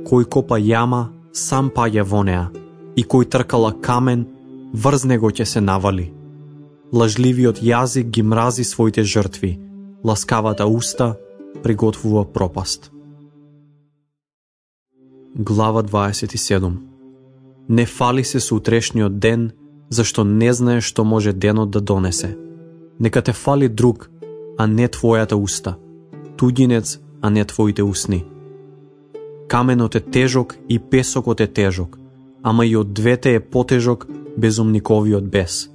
Кој копа јама, сам паѓа во неа, и кој тркала камен, врз него ќе се навали. Лажливиот јазик ги мрази своите жртви, ласкавата уста приготвува пропаст. Глава 27. Не фали се со утрешниот ден, зашто не знаеш што може денот да донесе. Нека те фали друг, а не твојата уста, туѓинец, а не твоите усни. Каменот е тежок и песокот е тежок, ама и од двете е потежок безумниковиот бес.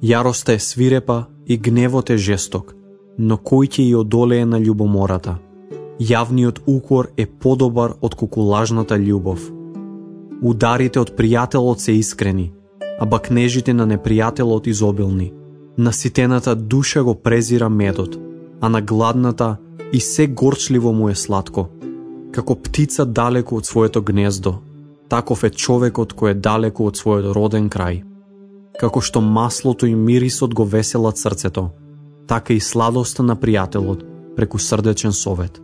Јароста е свирепа и гневот е жесток, но кој ќе и одолее на љубомората? Јавниот укор е подобар од кукулажната љубов. Ударите од пријателот се искрени, а бакнежите на непријателот изобилни. Наситената душа го презира медот, а на гладната и се горчливо му е сладко. Како птица далеку од своето гнездо, таков е човекот кој е далеку од својот роден крај. Како што маслото и мирисот го веселат срцето, така и сладоста на пријателот преку срдечен совет.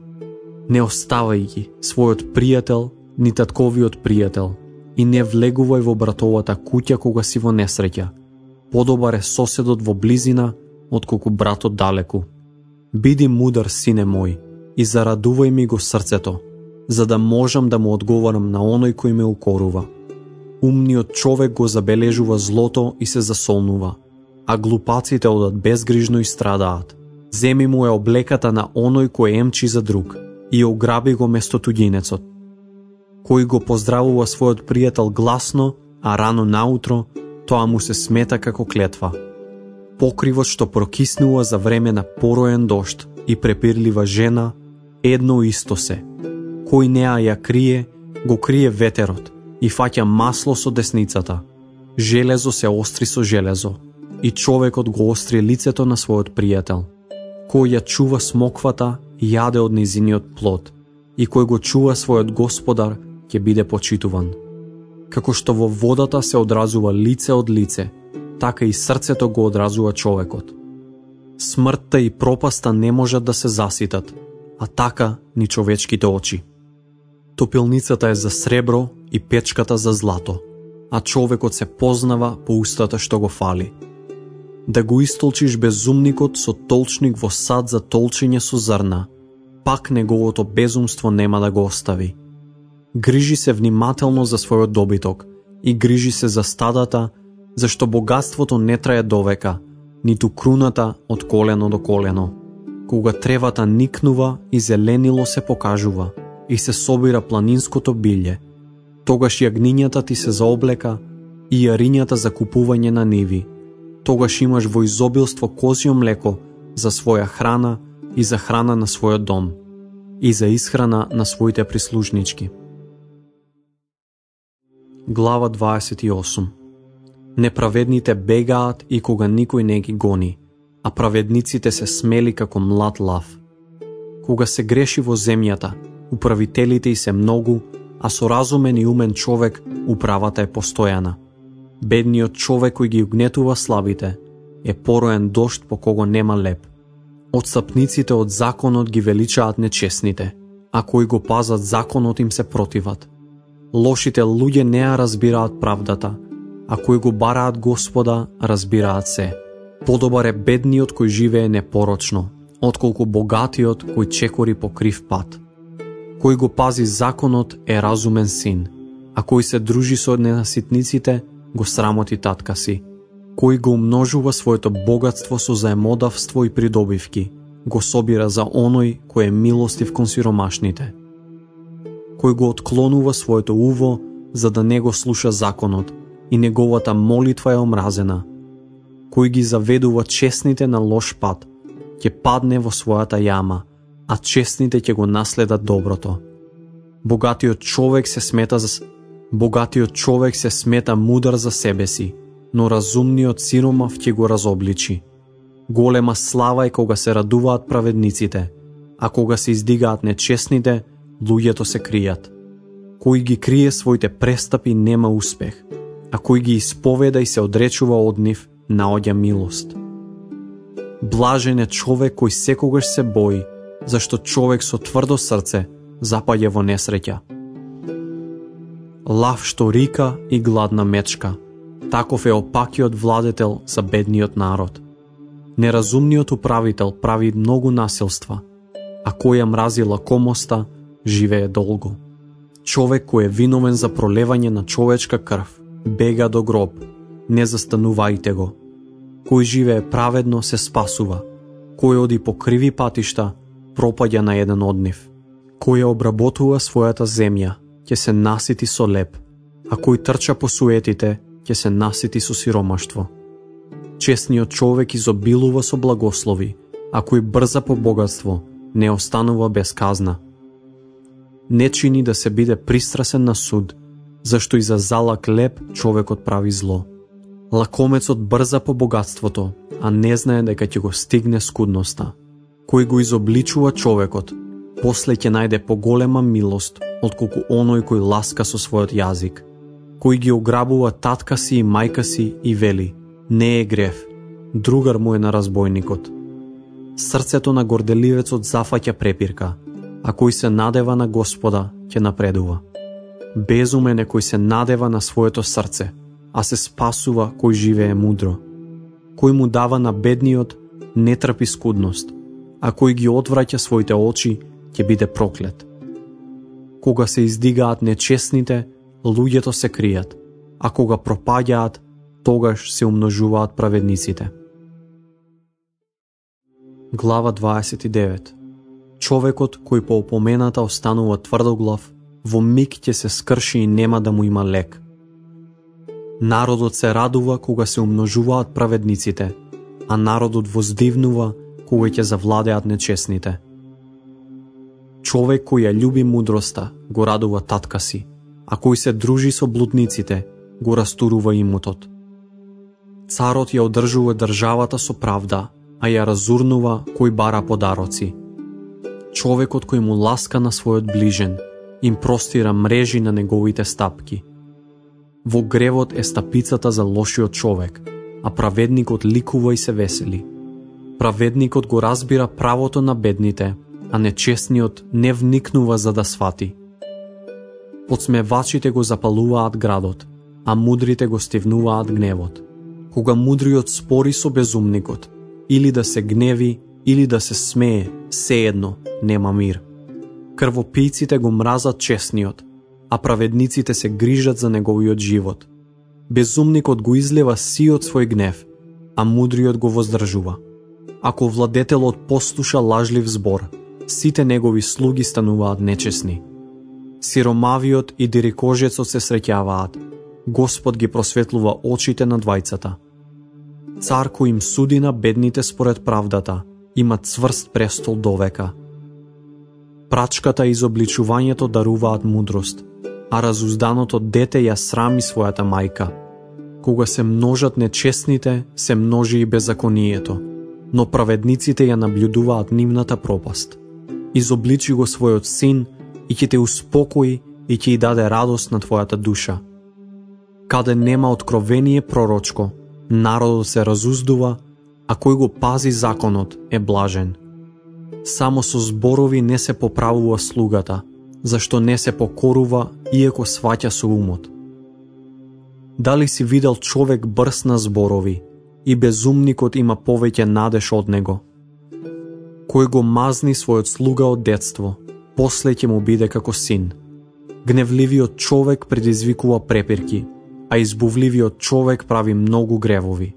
Не оставај ги својот пријател, ни татковиот пријател, и не влегувај во братовата куќа кога си во несреќа. Подобар е соседот во близина, отколку братот далеку. Биди мудар, сине мој, и зарадувај ми го срцето, за да можам да му одговарам на оној кој ме укорува. Умниот човек го забележува злото и се засолнува, а глупаците одат безгрижно и страдаат. Земи му е облеката на оној кој емчи за друг и ограби го место туѓинецот. Кој го поздравува својот пријател гласно, а рано наутро, тоа му се смета како клетва. Покривот што прокиснува за време на пороен дожд и препирлива жена, едно исто се. Кој неа ја крие, го крие ветерот и фаќа масло со десницата. Железо се остри со железо и човекот го остри лицето на својот пријател. Кој ја чува смоквата, јаде од низиниот плод, и кој го чува својот господар, ќе биде почитуван. Како што во водата се одразува лице од лице, така и срцето го одразува човекот. Смртта и пропаста не можат да се заситат, а така ни човечките очи. Топилницата е за сребро и печката за злато, а човекот се познава по устата што го фали. Да го истолчиш безумникот со толчник во сад за толчење со зрна, пак неговото безумство нема да го остави. Грижи се внимателно за својот добиток и грижи се за стадата, зашто богатството не трае довека, ниту круната од колено до колено. Кога тревата никнува и зеленило се покажува и се собира планинското билје, тогаш јагнињата ти се заоблека и јарињата за купување на ниви. Тогаш имаш во изобилство козјо млеко за своја храна и за храна на својот дом и за исхрана на своите прислужнички. Глава 28. Неправедните бегаат и кога никој не ги гони, а праведниците се смели како млад лав. Кога се греши во земјата, управителите и се многу, а со разумен и умен човек управата е постојана. Бедниот човек кој ги угнетува слабите е пороен дожд по кого нема леп. Отстапниците од законот ги величаат нечесните, а кои го пазат законот им се противат. Лошите луѓе не ја разбираат правдата, а кои го бараат Господа разбираат се. Подобар е бедниот кој живее непорочно, отколку богатиот кој чекори по крив пат. Кој го пази законот е разумен син, а кој се дружи со ненаситниците го срамоти татка си. Кој го умножува своето богатство со заемодавство и придобивки, го собира за оној кој е милостив кон сиромашните. Кој го отклонува своето уво за да не го слуша законот и неговата молитва е омразена. Кој ги заведува честните на лош пат, ќе падне во својата јама, а честните ќе го наследат доброто. Богатиот човек се смета мудар за себе си, но разумниот сиромав ќе го разобличи. Голема слава е кога се радуваат праведниците, а кога се издигаат нечестните, луѓето се кријат. Кој ги крие своите престапи нема успех, а кој ги исповеда и се одречува од нив, наоѓа милост. Блажен е човек кој секогаш се бои, зашто човек со тврдо срце запаѓа во несреќа. Лав што рика и гладна мечка, таков е опакиот владетел за бедниот народ. Неразумниот управител прави многу насилства, а кој ја мрази лакомоста, живее долго. Човек кој е виновен за пролевање на човечка крв, бега до гроб, не застанувајте го. Кој живее праведно се спасува, кој оди по криви патишта, пропаѓа на еден од нив. Кој ја обработува својата земја, ќе се насити со леп, а кој трча по суетите, ќе се насити со сиромаштво. Честниот човек изобилува со благослови, а кој брза по богатство, не останува без казна. Не чини да се биде пристрасен на суд, зашто и за залак леп човекот прави зло. Лакомецот брза по богатството, а не знае дека ќе го стигне скудноста. Кој го изобличува човекот, после ќе најде поголема милост, отколку оној кој ласка со својот јазик. Кој ги ограбува татка си и мајка си и вели, не е грев, другар му е на разбойникот. Срцето на горделивецот зафаќа препирка, а кој се надева на Господа ќе напредува. Безумен е кој се надева на своето срце, а се спасува кој живее мудро. Кој му дава на бедниот, не трпи скудност, а кој ги одвраќа своите очи, ќе биде проклет. Кога се издигаат нечестните, луѓето се кријат, а кога пропаѓаат, тогаш се умножуваат праведниците. Глава 29. Човекот кој по опомената останува тврдоглав, во миг ќе се скрши и нема да му има лек. Народот се радува кога се умножуваат праведниците, а народот воздивнува кога ќе завладеат нечесните. Човек кој ја љуби мудроста, го радува татка си, а кој се дружи со блудниците, го растурува имотот. Царот ја одржува државата со правда, а ја разурнува кој бара подароци. Човекот кој му ласка на својот ближен, им простира мрежи на неговите стапки. Во гревот е стапицата за лошиот човек, а праведникот ликува и се весели. Праведникот го разбира правото на бедните, а нечестниот не вникнува за да свати. Подсмевачите го запалуваат градот, а мудрите го стивнуваат гневот. Кога мудриот спори со безумникот, или да се гневи, или да се смее, сеедно, нема мир. Крвопијците го мразат честниот, а праведниците се грижат за неговиот живот. Безумникот го излева сиот свој гнев, а мудриот го воздржува. Ако владетелот послуша лажлив збор, сите негови слуги стануваат нечесни. Сиромавиот и дирикожецот се среќаваат, Господ ги просветлува очите на двајцата. Цар кој им суди на бедните според правдата, има цврст престол довека. Прачката и изобличувањето даруваат мудрост, а разузданото дете ја срами својата мајка. Кога се множат нечестните, се множи и беззаконието, но праведниците ја наблюдуваат нивната пропаст. Изобличи го својот син и ќе те успокои и ќе ја даде радост на твојата душа. Каде нема откровение пророчко, народот се разуздува, а кој го пази законот е блажен. Само со зборови не се поправува слугата, зашто не се покорува иако сваќа со умот. Дали си видел човек брз на зборови и безумникот има повеќе надеж од него? Кој го мазни својот слуга од детство, после ќе му биде како син. Гневливиот човек предизвикува препирки, а избувливиот човек прави многу гревови.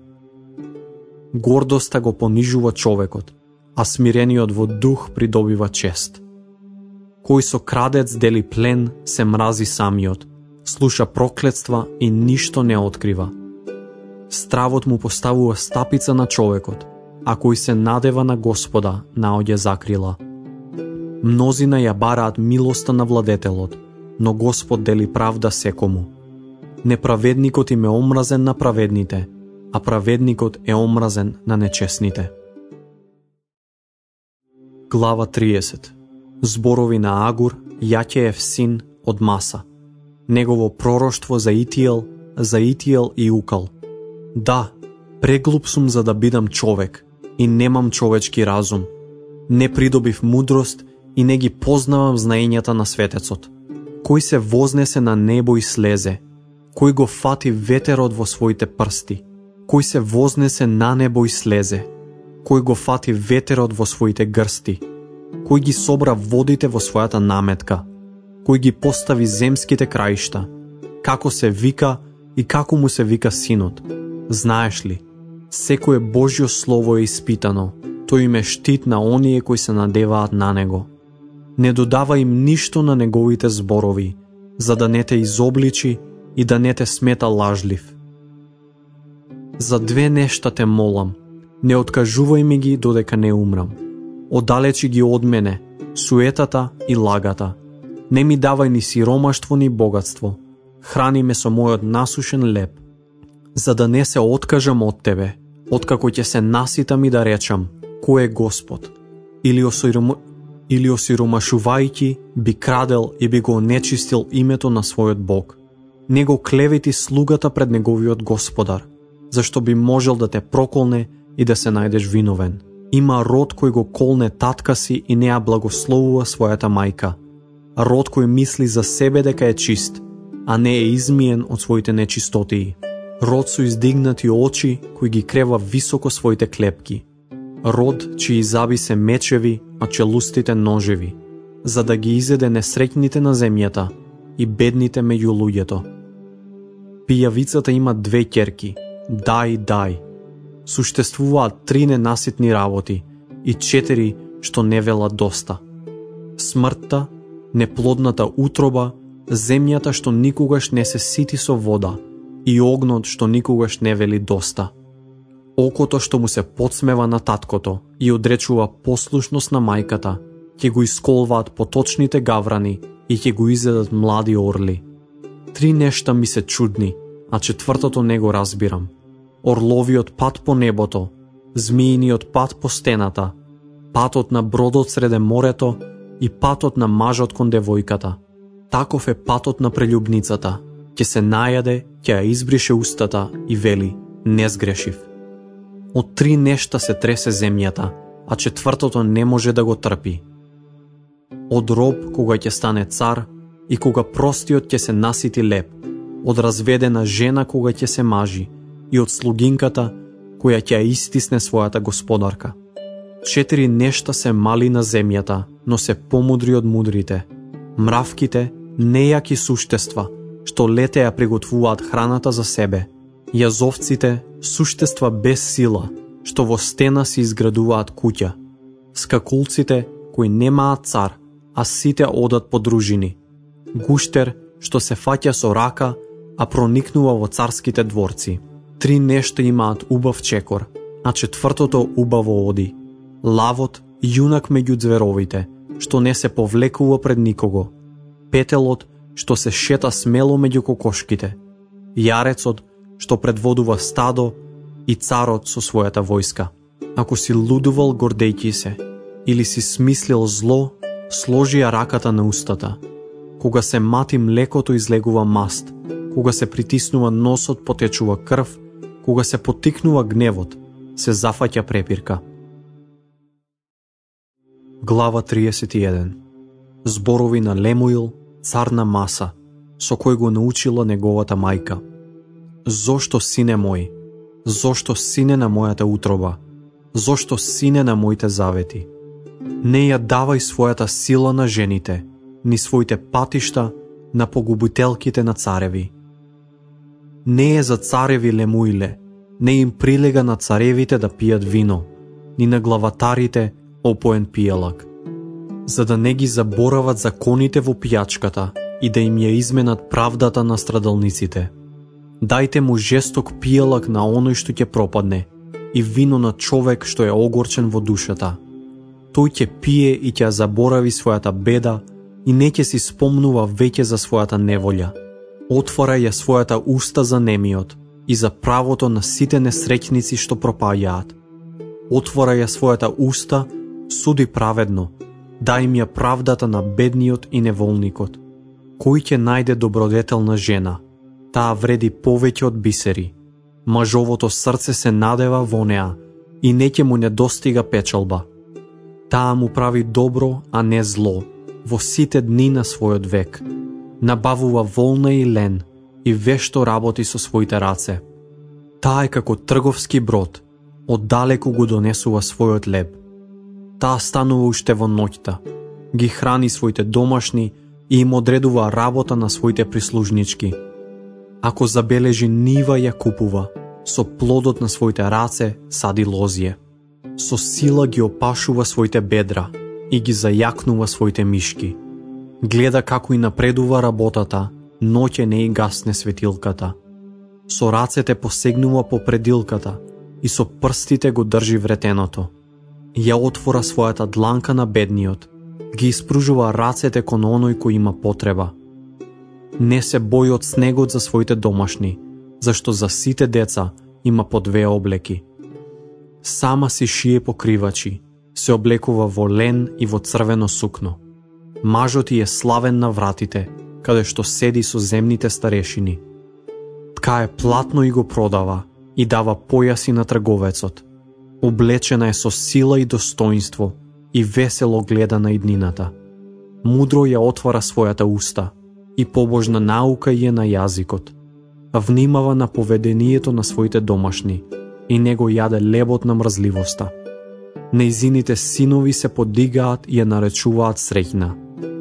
Гордоста го понижува човекот, а смирениот во дух придобива чест. Кој со крадец дели плен, се мрази самиот, слуша проклетства и ништо не открива. Стравот му поставува стапица на човекот, а кој се надева на Господа, наоѓа закрила. Мнозина ја бараат милоста на владетелот, но Господ дели правда секому. Неправедникот им е омразен на праведните, а праведникот е омразен на нечестните. Глава 30. Зборови на Агур, Јаќеев син од Маса. Негово пророштво за Итиел и Укал. Да, преглуп сум за да бидам човек и немам човечки разум. Не придобив мудрост и не ги познавам знаењата на светецот. Кој се вознесе на небо и слезе? Кој го фати ветерот во своите прсти? Кој се вознесе на небо и слезе? Кој го фати ветерот во своите грсти? Кој ги собра водите во својата наметка? Кој ги постави земските краишта? Како се вика и како му се вика синот? Знаеш ли, секое Божјо слово е испитано, тој им е штит на оние кои се надеваат на него. Не додава им ништо на неговите зборови, за да не те изобличи и да не те смета лажлив. За две нешта те молам, не откажувај ми ги додека не умрам. Оддалечи ги од мене, суетата и лагата. Не ми давај ни сиромаштво ни богатство. Храни ме со мојот насушен леб, за да не се откажам од тебе, откако ќе се наситам и да речам, кој е Господ? Или осиромашувајќи би крадел и би го онечистил името на својот Бог. Не го клевети слугата пред неговиот Господар, зашто би можел да те проколне и да се најдеш виновен. Има род кој го колне татка си и не ја благословува својата мајка. Род кој мисли за себе дека е чист, а не е измиен од своите нечистотии. Род со издигнати очи кој ги крева високо своите клепки. Род чии заби се мечеви, а челустите ножеви, за да ги изеде несреќните на земјата и бедните меѓу луѓето. Пијавицата има 2 ќерки, дај. Суштествуваат 3 ненаситни работи и 4 што не велат доста. Смртта, неплодната утроба, земјата што никогаш не се сити со вода и огнот што никогаш не вели доста. Окото што му се подсмева на таткото и одречува послушност на мајката, ќе го исколваат поточните гаврани и ќе го изедат млади орли. 3 нешта ми се чудни, а 4-тото не го разбирам. Орловиот пат по небото, змииниот пат по стената, патот на бродот среде морето и патот на мажот кон девојката. Таков е патот на прелюбницата. Ќе се најаде, ќе ја избрише устата и вели, не сгрешив. Од 3 нешта се тресе земјата, а 4-тото не може да го трпи. Од роб кога ќе стане цар и кога простиот ќе се насити леп, од разведена жена кога ќе се мажи и од слугинката која ќе ја истисне својата господарка. 4 нешта се мали на земјата, но се помудри од мудрите. Мравките, нејаки суштества, што лете ја приготвуваат храната за себе. Јазовците, суштества без сила, што во стена си изградуваат куќа. Скакулците, кои немаат цар, а сите одат по дружини. Гуштер, што се фаќа со рака, а проникнува во царските дворци. 3 нешта имаат убав чекор, а 4-тото убаво оди. Лавот, јунак меѓу зверовите, што не се повлекува пред никого. Петелот, што се шета смело меѓу кокошките. Јарецот, што предводува стадо, и царот со својата војска. Ако си лудувал гордејќи се, или си смислил зло, сложи ја раката на устата. Кога се мати млекото излегува маст, кога се притиснува носот потечува крв, кога се потикнува гневот, се зафаќа препирка. Глава 31. Зборови на Лемуил, цар на Маса, со кој го научила неговата мајка. Зошто, сине мој? Зошто, сине на мојата утроба? Зошто, сине на моите завети? Не ја давај својата сила на жените, ни своите патишта на погубителките на цареви. Не е за цареви Лемуиле, не им прилега на царевите да пијат вино, ни на главатарите опоен пијалак, за да не ги заборават законите во пијачката и да им ја изменат правдата на страдалниците. Дајте му жесток пијалак на оној што ќе пропадне и вино на човек што е огорчен во душата. Тој ќе пие и ќе заборави својата беда и не ќе си спомнува веќе за својата неволја. Отвора ја својата уста за немиот и за правото на сите несреќници што пропаѓаат. Отвора ја својата уста, суди праведно, дај им ја правдата на бедниот и неволникот. Кој ќе најде добродетелна жена? Таа вреди повеќе од бисери. Мажовото срце се надева во неа и не ќе му недостига печалба. Таа му прави добро, а не зло, во сите дни на својот век. Набавува волна и лен и вешто работи со своите раце. Таа е како трговски брод, оддалеку го донесува својот леб. Таа станува уште во ноќта, ги храни своите домашни и им одредува работа на своите прислужнички. Ако забележи нива ја купува, со плодот на своите раце сади лозје. Со сила ги опашува своите бедра и ги зајакнува своите мишки. Гледа како и напредува работата, ноќе не и гасне светилката. Со рацете посегнува по предилката и со прстите го држи вретеното. Ја отвора својата дланка на бедниот, ги испружува рацете кон оној кој има потреба. Не се бои од снегот за своите домашни, зашто за сите деца има по 2 облеки. Сама си шие покривачи, се облекува во лен и во црвено сукно. Мажот е славен на вратите, каде што седи со земните старешини. Ткае платно и го продава, и дава појаси на трговецот. Облечена е со сила и достоинство, и весело гледа на иднината. Мудро ја отвара својата уста, и побожна наука е на јазикот. Внимава на поведението на своите домашни, и не го јаде лебот на мрзливоста. Нејзините синови се подигаат и ја наречуваат среќна,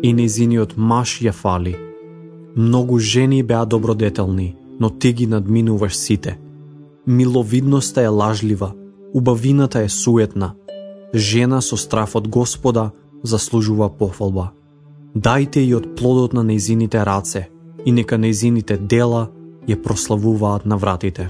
и нејзиниот маж ја фали. Многу жени беа добродетелни, но ти ги надминуваш сите. Миловидноста е лажлива, убавината е суетна. Жена со страф од Господа заслужува пофалба. Дајте и од плодот на нејзините раце, и нека нејзините дела ја прославуваат на вратите.